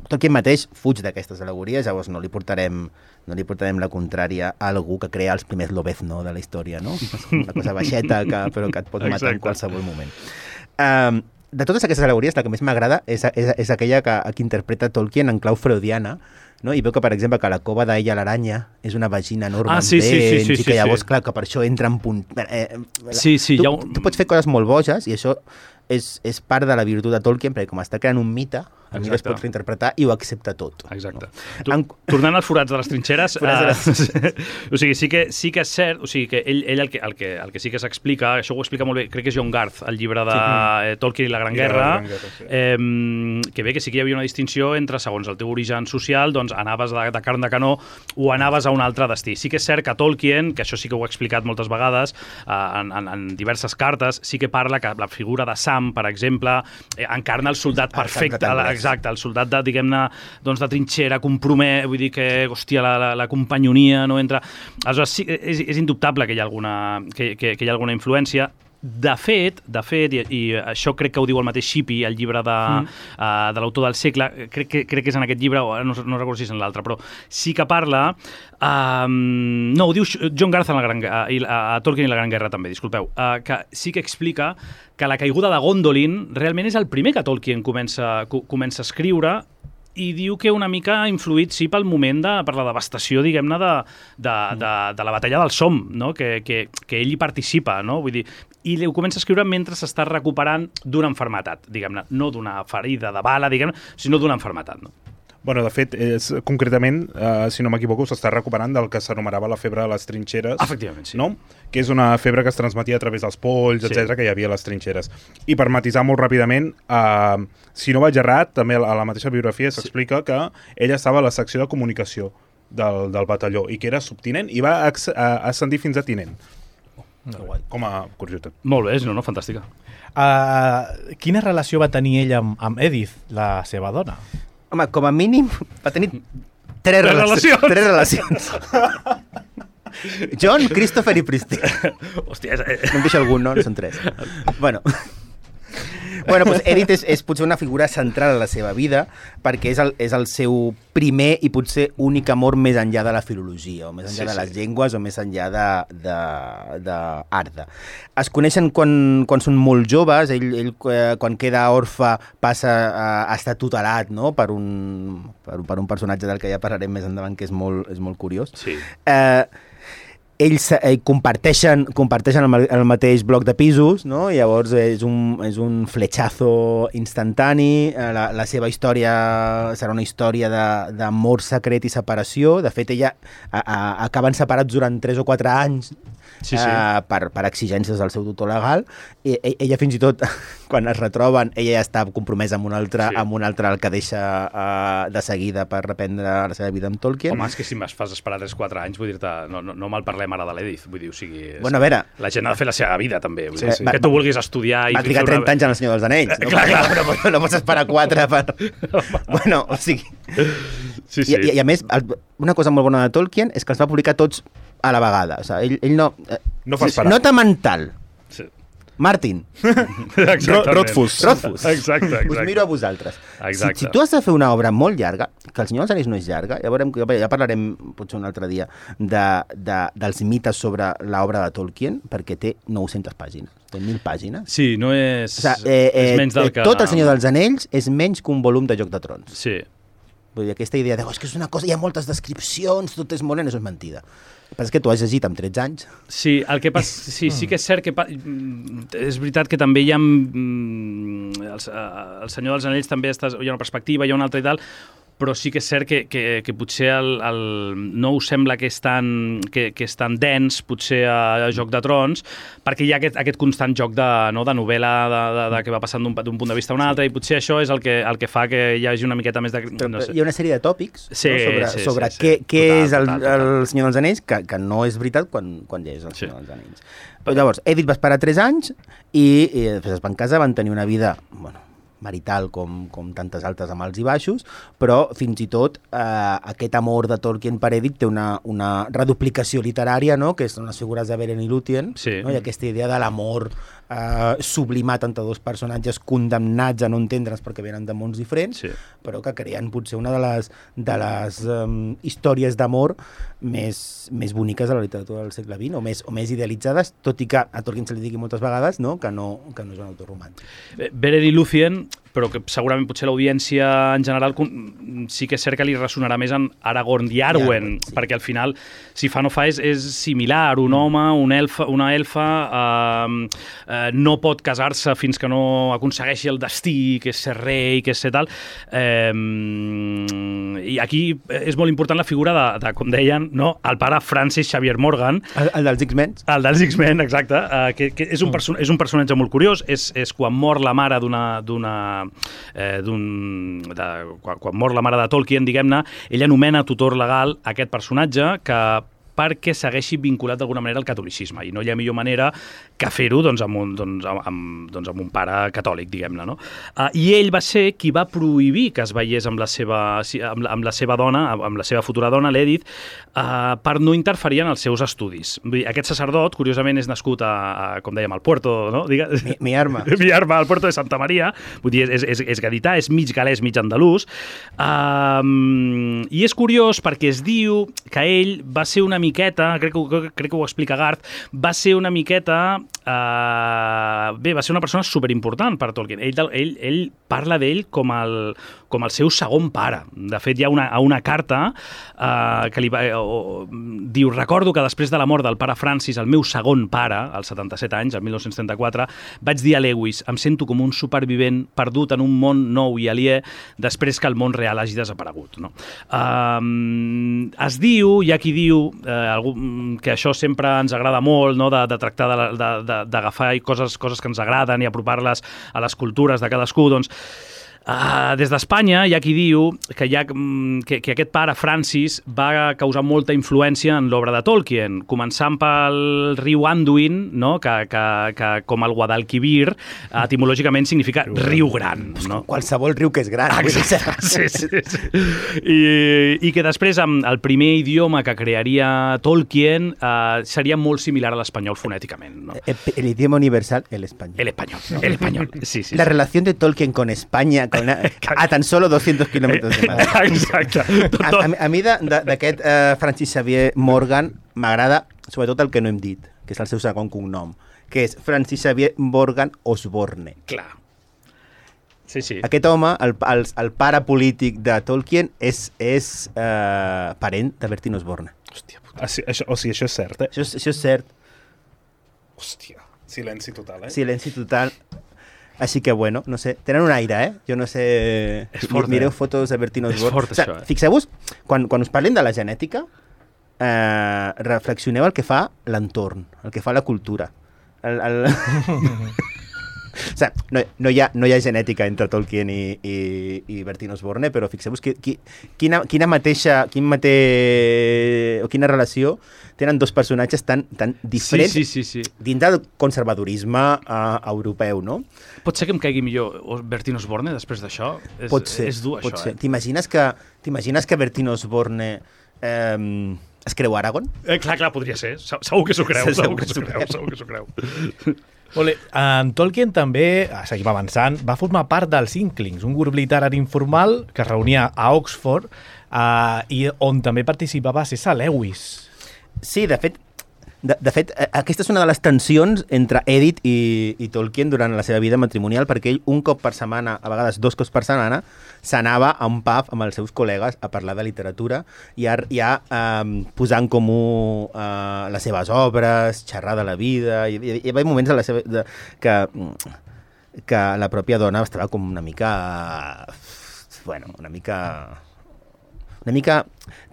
[SPEAKER 4] Tolkien mateix fuig d'aquestes al·legories, llavors no li portarem la contrària a algú que crea els primers Lobezno de la història, no? Una cosa baixeta, però que et pot matar en qualsevol moment. De totes aquestes al·legories, la que més m'agrada és aquella que interpreta Tolkien en clau freudiana, no? I veu que, per exemple, que la cova d'Ella l'aranya és una vagina enorme amb dents, i que llavors, clar, que per això entra en punt... Tu pots fer coses molt boges, i això és part de la virtut de Tolkien, perquè com està creant un mite, a mi es pot reinterpretar i ho accepta tot.
[SPEAKER 5] Exacte. No? Tornant als forats de les trinxeres, o sigui, sí que és cert, o sigui, que ell el que sí que s'explica, això ho explica molt bé, crec que és John Garth, el llibre de Tolkien i la Gran Guerra, que bé que sí que hi havia una distinció entre, segons el teu origen social, doncs anaves de carn de canó o anaves a un altre destí. Sí que és cert que Tolkien, que això sí que ho he explicat moltes vegades, en diverses cartes, sí que parla que la figura de Sam, per exemple, encarna el soldat perfecte, exacte, el soldat de, diguem-ne, doncs de trinxera, compromès, vull dir que, hòstia, la companyonia no entra... Aleshores, sí, és indubtable que hi ha alguna influència. De fet, i això crec que ho diu el mateix Shippey, el llibre de l'autor del segle, crec que és en aquest llibre, o no recordo si és en l'altre, però sí que parla... no, ho diu John Garth a Tolkien i la Gran Guerra també, disculpeu, que sí que explica que la caiguda de Gondolin realment és el primer que Tolkien comença a escriure, i diu que una mica ha influït, sí, pel moment per la devastació, diguem-ne, de la batalla del Somme, no? Que ell hi participa, no? Vull dir, i ho comença a escriure mentre s'està recuperant d'una malaltia, diguem-ne, no d'una ferida de bala, diguem-ne, sinó d'una malaltia, no?
[SPEAKER 7] Bueno, de fet, concretament, si no m'equivoco, s'està recuperant del que s'anomenava la febre de les trinxeres.
[SPEAKER 5] Efectivament, sí.
[SPEAKER 7] No? Que és una febre que es transmetia a través dels polls, etc que hi havia a les trinxeres. I per matisar molt ràpidament, si no vaig errat, també a la mateixa biografia s'explica que ella estava a la secció de comunicació del batalló i que era subtinent i va ascendir fins a tinent. Com a curiositat.
[SPEAKER 5] Molt bé, no, fantàstica.
[SPEAKER 3] Quina relació va tenir ell amb Edith, la seva dona?
[SPEAKER 4] Home, com a mínim va tenir tres relacions. John, Christopher i Pristy.
[SPEAKER 5] Hòstia,
[SPEAKER 4] no em deixa algun, no? Són tres. Bueno, Bueno, doncs Edith és potser una figura central a la seva vida perquè és el seu primer i potser únic amor més enllà de la filologia, o més enllà de les llengües, o més enllà d'art. Es coneixen quan són molt joves, ell quan queda orfe passa a estar tutelat, no? per un personatge del que ja parlarem més endavant, que és molt curiós.
[SPEAKER 5] Sí.
[SPEAKER 4] Ells comparteixen el mateix bloc de pisos, no? Llavors és un fletxazo instantani. La seva història serà una història d'amor secret i separació. De fet, acaben separats durant 3 o 4 anys per exigències del seu tutor legal. Ella fins i tot, quan es retroben, ella ja està compromesa amb un altre, el que deixa de seguida per reprendre la seva vida amb Tolkien.
[SPEAKER 5] Home, és que si m'es fas esperar 3-4 anys, vull dir-te, no mal parlem ara de l'Edith, vull dir, o sigui...
[SPEAKER 4] Bueno, a veure...
[SPEAKER 5] La gent ha de fer la seva vida, també. Que tu vulguis estudiar...
[SPEAKER 4] Va trigar 30 anys en El Senyor dels Anells. No? Clar. No pots esperar 4 per... Bueno, o sigui...
[SPEAKER 5] Sí.
[SPEAKER 4] I a més, una cosa molt bona de Tolkien és que els va publicar tots a la vegada. O sigui, ell no...
[SPEAKER 7] No fa esperar.
[SPEAKER 4] Nota mental.
[SPEAKER 5] Sí.
[SPEAKER 4] Martin.
[SPEAKER 7] Rothfuss.
[SPEAKER 5] Exacte.
[SPEAKER 4] Us miro a vosaltres.
[SPEAKER 5] Exacte.
[SPEAKER 4] Si tu has de fer una obra molt llarga, que El Senyor dels Anells no és llarga, ja parlarem potser un altre dia dels mites sobre l'obra de Tolkien, perquè té 900 pàgines. Té 1.000 pàgines.
[SPEAKER 5] Sí, no és...
[SPEAKER 4] O sigui,
[SPEAKER 5] és menys del que...
[SPEAKER 4] Tot El Senyor dels Anells és menys que un volum de Joc de Trons.
[SPEAKER 5] Sí.
[SPEAKER 4] Vull dir, aquesta idea de és que és una cosa, hi ha moltes descripcions, tot és molt lent, això és mentida. El que passa és que tu has llegit amb 13 anys.
[SPEAKER 5] Sí, el que passa... Sí que és cert que... És veritat que també hi ha... El Senyor dels Anells també hi ha una perspectiva, hi ha una altra i tal, però sí que és cert que potser no us sembla que és tan dens, potser a Joc de Trons, perquè hi ha aquest constant joc de novel·la que va passant d'un punt de vista a un altre, i potser això és el que fa que hi hagi una miqueta més de... No sé.
[SPEAKER 4] Hi ha una sèrie de tòpics sobre què és el Senyor dels Anells, que no és veritat quan llegeix El Senyor dels Anells. Però llavors, Edith va esperar 3 anys i després es van casar, van tenir una vida... marital com tantes altres amb alts i baixos, però fins i tot aquest amor de Tolkien per Edith té una reduplicació literària, no? Que són les figures de Beren i Lúthien, no? I aquesta idea de l'amor sublimat entre dos personatges condemnats a no entendre's perquè venen de mons diferents, però que creen potser una de les històries d'amor més boniques de la literatura del segle XX, o més idealitzades, tot i que a Tolkien se li digui moltes vegades que no és un autor romàntic.
[SPEAKER 5] Beren i Lúthien, però que segurament potser l'audiència en general sí que és cert que li ressonarà més en Aragorn i Arwen, perquè al final, si fa no fa, és similar. Un home, una elfa, no pot casar-se fins que no aconsegueixi el destí, que és ser rei, que és ser tal. I aquí és molt important la figura de com deien, el pare Francis Xavier Morgan.
[SPEAKER 4] El dels X-Men.
[SPEAKER 5] El dels X-Men, exacte, que és un personatge molt curiós. És quan mor la mare quan mor la mare de Tolkien, diguem-ne, ell anomena tutor legal aquest personatge perquè segueixi vinculat d'alguna manera al catolicisme, i no hi ha millor manera que fer-ho amb un pare catòlic, diguem-ne, no? I ell va ser qui va prohibir que es veiés amb la seva dona, amb la seva futura dona, l'Edith, per no interferir en els seus estudis. Vull dir, aquest sacerdot, curiosament, és nascut com dèiem, al Puerto, no?
[SPEAKER 4] Mi arma,
[SPEAKER 5] al Puerto de Santa Maria, vull dir, és gadità, és mig galès, mig andalús, i és curiós perquè es diu que ell va ser una miqueta, crec que ho explica Garth, va ser una miqueta... va ser una persona superimportant per Tolkien. Ell parla d'ell com el seu segon pare. De fet, hi ha una carta que li diu: recordo que després de la mort del pare Francis, el meu segon pare, als 77 anys, el 1934, vaig dir a Lewis: em sento com un supervivent perdut en un món nou i aliè després que el món real hagi desaparegut. No? Es diu, hi ha qui diu que això sempre ens agrada molt, no? de tractar d'agafar coses que ens agraden i apropar-les a les cultures de cadascú, doncs Des d'Espanya hi ha qui diu que aquest pare, Francis, va causar molta influència en l'obra de Tolkien, començant pel riu Anduin, no? que com el Guadalquivir, etimològicament significa riu gran. No?
[SPEAKER 4] Qualsevol riu que és gran.
[SPEAKER 5] Exacte, sí. I que després, amb el primer idioma que crearia Tolkien, seria molt similar a l'espanyol fonèticament. ¿No?
[SPEAKER 4] El idioma universal, el español.
[SPEAKER 5] El español, sí.
[SPEAKER 4] La relación de Tolkien con España a tan solo 200 kilómetros de mar.
[SPEAKER 5] Exacte.
[SPEAKER 4] A mi d'aquest Francis Xavier Morgan m'agrada sobretot el que no hem dit, que és el seu segon cognom, que és Francis Xavier Morgan Osborne.
[SPEAKER 5] Clar. Sí.
[SPEAKER 4] Aquest home, el pare polític de Tolkien, és parent de Bertín Osborne.
[SPEAKER 7] Hòstia puta. Això és cert, eh?
[SPEAKER 4] Això és cert.
[SPEAKER 7] Hòstia, silenci total, eh?
[SPEAKER 4] Silenci total. Així que, bueno, no sé, tenen un aire, eh? Jo no sé... Mireu fotos de Bertín Osborne.
[SPEAKER 5] És fort, això, eh?
[SPEAKER 4] Fixeu-vos, quan us parlin de la genètica, reflexioneu el que fa l'entorn, el que fa la cultura. O sigui, no hi ha genètica entre Tolkien i Bertín Osborne, però fixeu-vos quina relació tenen dos personatges tan diferents dins del conservadorisme europeu, no?
[SPEAKER 5] Pot ser que em caigui millor Bertín Osborne després d'això? És dur,
[SPEAKER 4] pot
[SPEAKER 5] això,
[SPEAKER 4] ser. T'imagines que Bertín Osborne es creu Aragorn?
[SPEAKER 5] Clar, podria ser. Segur que s'ho creu, segur que s'ho creu.
[SPEAKER 3] En Tolkien també, seguim avançant, va formar part dels Inklings, un grup literari informal que es reunia a Oxford i on també participava C.S. Lewis.
[SPEAKER 4] Sí, de fet, aquesta és una de les tensions entre Edith i Tolkien durant la seva vida matrimonial, perquè ell un cop per setmana, a vegades 2 cops per setmana, s'anava a un pub amb els seus col·legues a parlar de literatura i a posar en comú les seves obres, xerrar de la vida. Hi havia moments de la seva, que la pròpia dona estava com una mica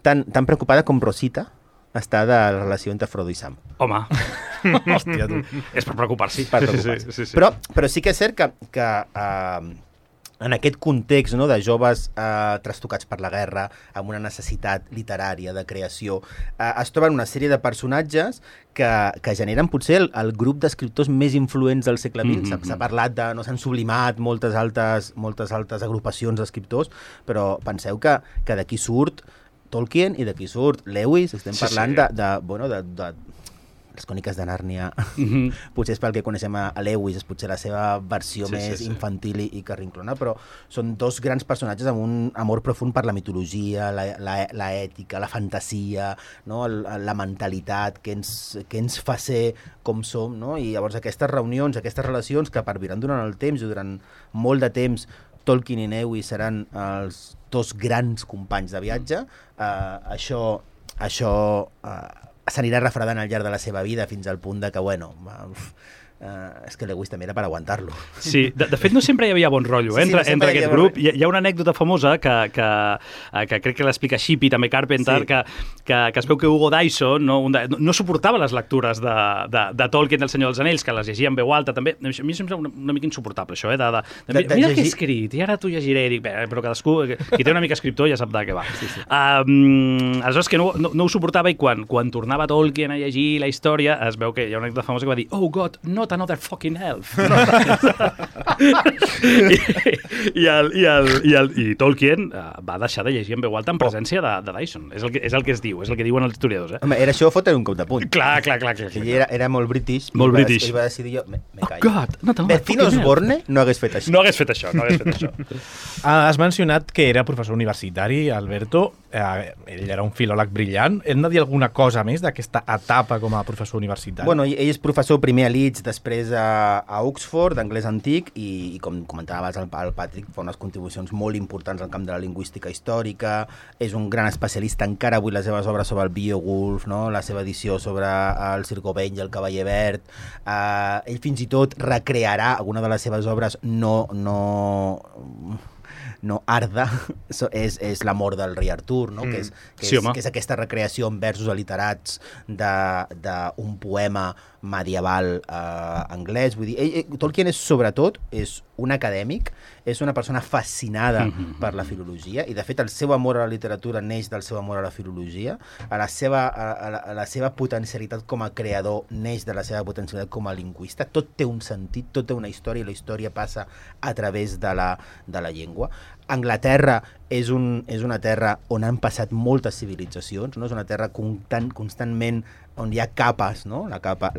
[SPEAKER 4] tan preocupada com Rosita està de la relació entre Frodo i Sam.
[SPEAKER 5] Home,
[SPEAKER 3] Hòstia, tu.
[SPEAKER 5] és per preocupar-s'hi. Sí.
[SPEAKER 4] Però sí que és cert que en aquest context, no, de joves trastocats per la guerra, amb una necessitat literària de creació, es troben una sèrie de personatges que generen potser el grup d'escriptors més influents del segle XX. S'ha parlat de... no s'han sublimat moltes altres agrupacions d'escriptors, però penseu que d'aquí surt Tolkien i d'aquí surt Lewis. Estem parlant de les Cròniques de Nàrnia. Potser és pel que coneixem a Lewis, és potser la seva versió més infantil i carrinclona, però són dos grans personatges amb un amor profund per la mitologia, la ètica, la fantasia, no? La mentalitat que ens fa ser com som, no? I llavors aquestes reunions, aquestes relacions que perviran durant el temps i durant molt de temps Tolkien i Lewis seran els dos grans companys de viatge, això s'anirà refredant al llarg de la seva vida fins al punt de que, és que Lewis també era per aguantar-lo.
[SPEAKER 5] Sí, de fet no sempre hi havia bon rotllo entre aquest grup. Hi ha una anècdota famosa que crec que l'explica Shippey, també Carpenter, que es veu que Hugo Dyson no suportava les lectures de Tolkien del Senyor dels Anells, que les llegia en veu alta també. A mi em sembla una mica insuportable això, mira el que he escrit, i ara t'ho llegiré, i dic, però cadascú, qui té una mica escriptor ja sap de què va. Aleshores que no ho suportava, i quan tornava Tolkien a llegir la història, es veu que hi ha una anècdota famosa que va dir, oh God, not another fucking elf. I Tolkien va deixar de llegir en veu alta en presència de Dyson. És el que es diu, és el que diuen els historiadors.
[SPEAKER 4] Home, era això fotre un cop de punt.
[SPEAKER 5] Clar.
[SPEAKER 4] Era molt british.
[SPEAKER 5] Molt british.
[SPEAKER 4] I va decidir jo, me callo.
[SPEAKER 5] God, not another
[SPEAKER 4] Bertín Osborne no hagués fet això.
[SPEAKER 5] No hagués fet això.
[SPEAKER 3] Has mencionat que era professor universitari, Alberto. Ell era un filòleg brillant. Hem de dir alguna cosa més d'aquesta etapa com a professor universitari?
[SPEAKER 4] Bueno, ell és professor primer a Leeds, després a Oxford, d'anglès antic, i com comentaves el Patrick, fa unes contribucions molt importants al camp de la lingüística històrica. És un gran especialista, encara avui les seves obres sobre el Beowulf, no? La seva edició sobre el Sir Gawain i el Cavaller Verd. Ell fins i tot recrearà alguna de les seves obres no Arda, és l'amor del rei Artur, no? que és aquesta recreació en versos aliterats d'un poema medieval anglès. Vull dir, Tolkien sobretot és un acadèmic és una persona fascinada per la filologia, i de fet el seu amor a la literatura neix del seu amor a la filologia, a la seva potencialitat com a creador neix de la seva potencialitat com a lingüista. Tot té un sentit, tot té una història, i la història passa a través de la llengua. Anglaterra és una terra on han passat moltes civilitzacions, no? És una terra constantment on hi ha capes, no? La capa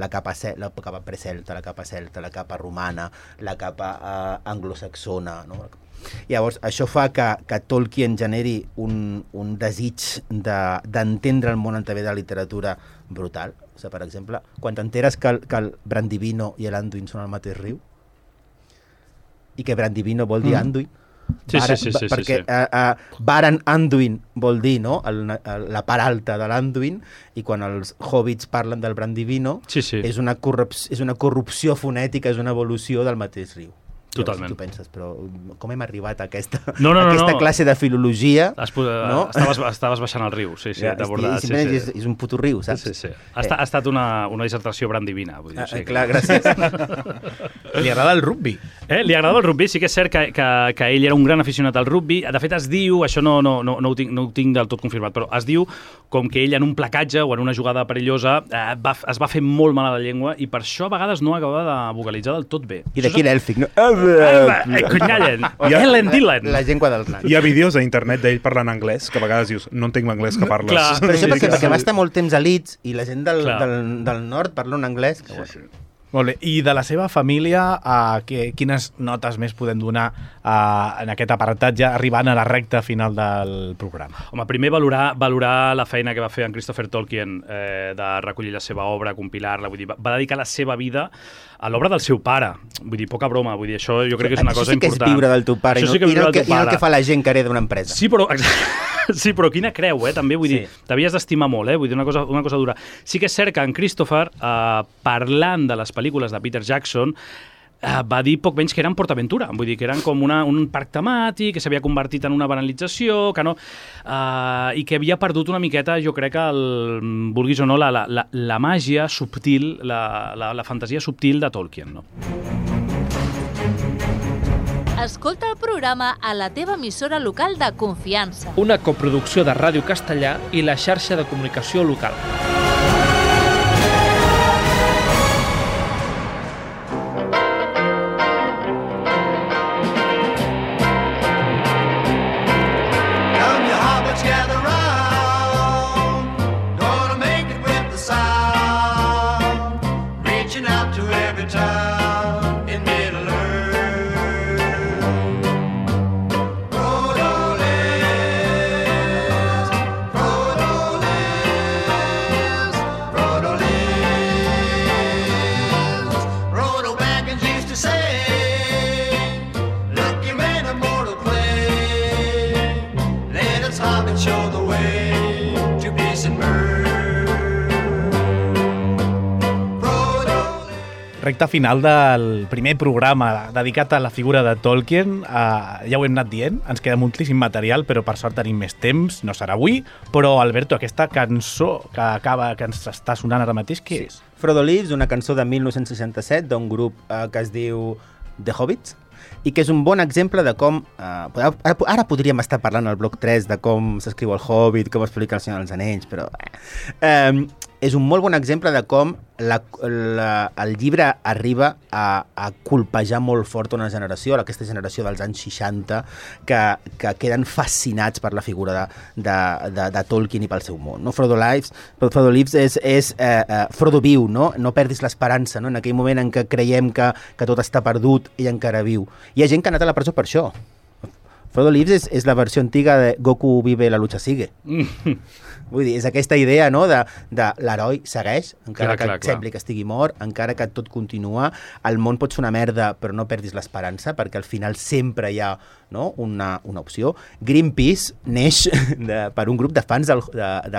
[SPEAKER 4] precelta, la capa celta, la capa romana, la capa anglosaxona, no? Llavors, això fa que Tolkien generi un desig d'entendre el món a través de la literatura brutal. O sigui, per exemple, quan t'enteres que el Brandivino i l'Anduin són al mateix riu, i que Brandivino vol dir Anduin, perquè Baran Anduin vol dir, no?, la part alta de l'Anduin, i quan els hobbits parlen del Brandivino és una corrupció fonètica, és una evolució del mateix riu.
[SPEAKER 5] Totalment.
[SPEAKER 4] Tu penses, però com hem arribat a aquesta classe de filologia?
[SPEAKER 5] Estaves baixant el riu, t'ha abordat.
[SPEAKER 4] És un puto riu, saps?
[SPEAKER 5] Ha estat una dissertació brandivina.
[SPEAKER 4] Clar, gràcies.
[SPEAKER 3] Li agrada el rugby.
[SPEAKER 5] Li agrada el rugby, sí que és cert que ell era un gran aficionat al rugby. De fet, es diu, això no ho tinc del tot confirmat, però es diu com que ell en un placatge o en una jugada perillosa es va fer molt mal a la llengua, i per això a vegades no acaba de vocalitzar del tot bé.
[SPEAKER 4] I d'aquí l'èlfic, no? La llengua del nan.
[SPEAKER 7] Hi ha vídeos a internet d'ell parlant anglès, que a vegades dius, no entenc l'anglès que parles.
[SPEAKER 4] Clar, però això perquè va estar molt temps a Leeds, i la gent del nord parla un anglès que...
[SPEAKER 3] Molt bé. I de la seva família, quines notes més podem donar en aquest apartat, ja arribant a la recta final del programa?
[SPEAKER 5] Home, primer valorar la feina que va fer en Christopher Tolkien de recollir la seva obra, compilar-la, vull dir, va dedicar la seva vida a l'obra del seu pare. Vull dir, poca broma, vull dir, això jo crec que és una cosa important.
[SPEAKER 4] Això sí que és viure del teu pare, i no el que fa la gent que hereda d'una empresa.
[SPEAKER 5] Sí, però quina creu, també, vull dir, t'havies d'estimar molt, vull dir, una cosa dura. Sí que és cert que en Christopher, parlant de les pel·lícules de Peter Jackson, va dir poc menys que eren PortAventura, vull dir que eren com un parc temàtic, que s'havia convertit en una banalització, que no, i que havia perdut una miqueta, jo crec que vulguis o no, la màgia subtil, la fantasia subtil de Tolkien, no?
[SPEAKER 1] Escolta el programa a la teva emissora local de confiança.
[SPEAKER 2] Una coproducció de Ràdio Castellà i la xarxa de comunicació local.
[SPEAKER 3] Recta final del primer programa dedicat a la figura de Tolkien. Ja ho hem anat dient, ens queda moltíssim material, però per sort tenim més temps, no serà avui, però Alberto, aquesta cançó que ens està sonant ara mateix, què és?
[SPEAKER 4] Frodo Leaves, una cançó de 1967 d'un grup que es diu The Hobbits, i que és un bon exemple de com... Ara podríem estar parlant al bloc 3 de com s'escriu el Hobbit, com explica el Senyor dels Anells, però... és un molt bon exemple de com el llibre arriba a colpejar molt fort una generació, aquesta generació dels anys 60, que queden fascinats per la figura de Tolkien i pel seu món. No? Frodo Leaves és Frodo viu, no? No perdis l'esperança, no? En aquell moment en què creiem que tot està perdut, ell encara viu. Hi ha gent que ha anat a la presó per això. Frodo Leaves és la versió antiga de Goku vive, la lucha sigue. Vull dir, és aquesta idea, no?, de l'heroi segueix, encara que sembli que estigui mort, encara que tot continua, el món pot ser una merda, però no perdis l'esperança, perquè al final sempre hi ha, no?, una opció. Greenpeace neix per un grup de fans del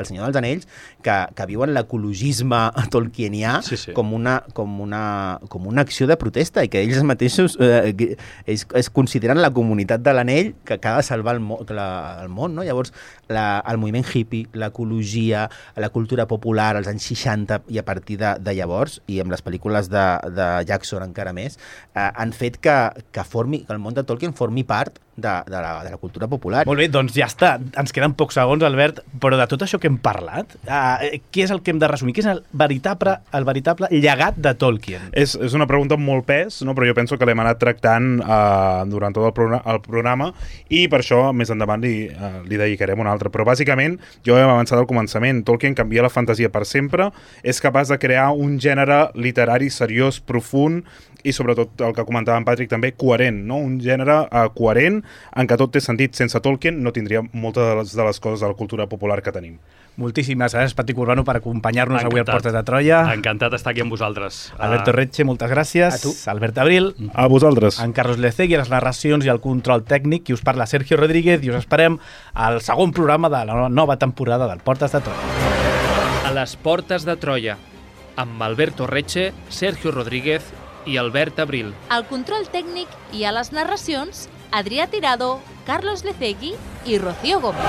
[SPEAKER 4] Senyor dels Anells que viuen l'ecologisme tolkienià com una acció de protesta, i que ells mateixos es consideren la comunitat de l'anell que ha de salvar el món, no? Llavors, el moviment hippie, l'ecologia, la cultura popular als anys 60 i a partir de llavors, i amb les pel·lícules de Jackson encara més, han fet que el món de Tolkien formi part de la cultura popular.
[SPEAKER 3] Molt bé, doncs ja està. Ens queden pocs segons, Albert, però de tot això que hem parlat, què és el que hem de resumir? Què és el veritable llegat de Tolkien?
[SPEAKER 7] És una pregunta amb molt pes, no? Però jo penso que l'hem anat tractant durant tot el programa i per això més endavant li dedicarem un altre. Però bàsicament, jo hem avançat al començament. Tolkien canvia la fantasia per sempre, és capaç de crear un gènere literari seriós, profund i sobretot el que comentava en Patrick també, coherent, no? Un gènere coherent en què tot té sentit. Sense Tolkien no tindria moltes de les coses de la cultura popular que tenim.
[SPEAKER 3] Moltíssimes gràcies, Patrick Urbano, per acompanyar-nos avui a Portes de Troia.
[SPEAKER 5] Encantat d'estar aquí amb vosaltres.
[SPEAKER 3] Alberto Retxe, moltes gràcies.
[SPEAKER 4] A tu.
[SPEAKER 3] Albert Abril.
[SPEAKER 7] A vosaltres.
[SPEAKER 3] En Carlos Lecegui, a les narracions i el control tècnic, i us parla Sergio Rodríguez, i us esperem al segon programa de la nova temporada del Portes de Troia.
[SPEAKER 2] A les Portes de Troia, amb Alberto Retxe, Sergio Rodríguez i Albert Abril.
[SPEAKER 1] Al control tècnic i a les narracions, Adrià Tirado, Carlos Lecegui i Rocío Gómez.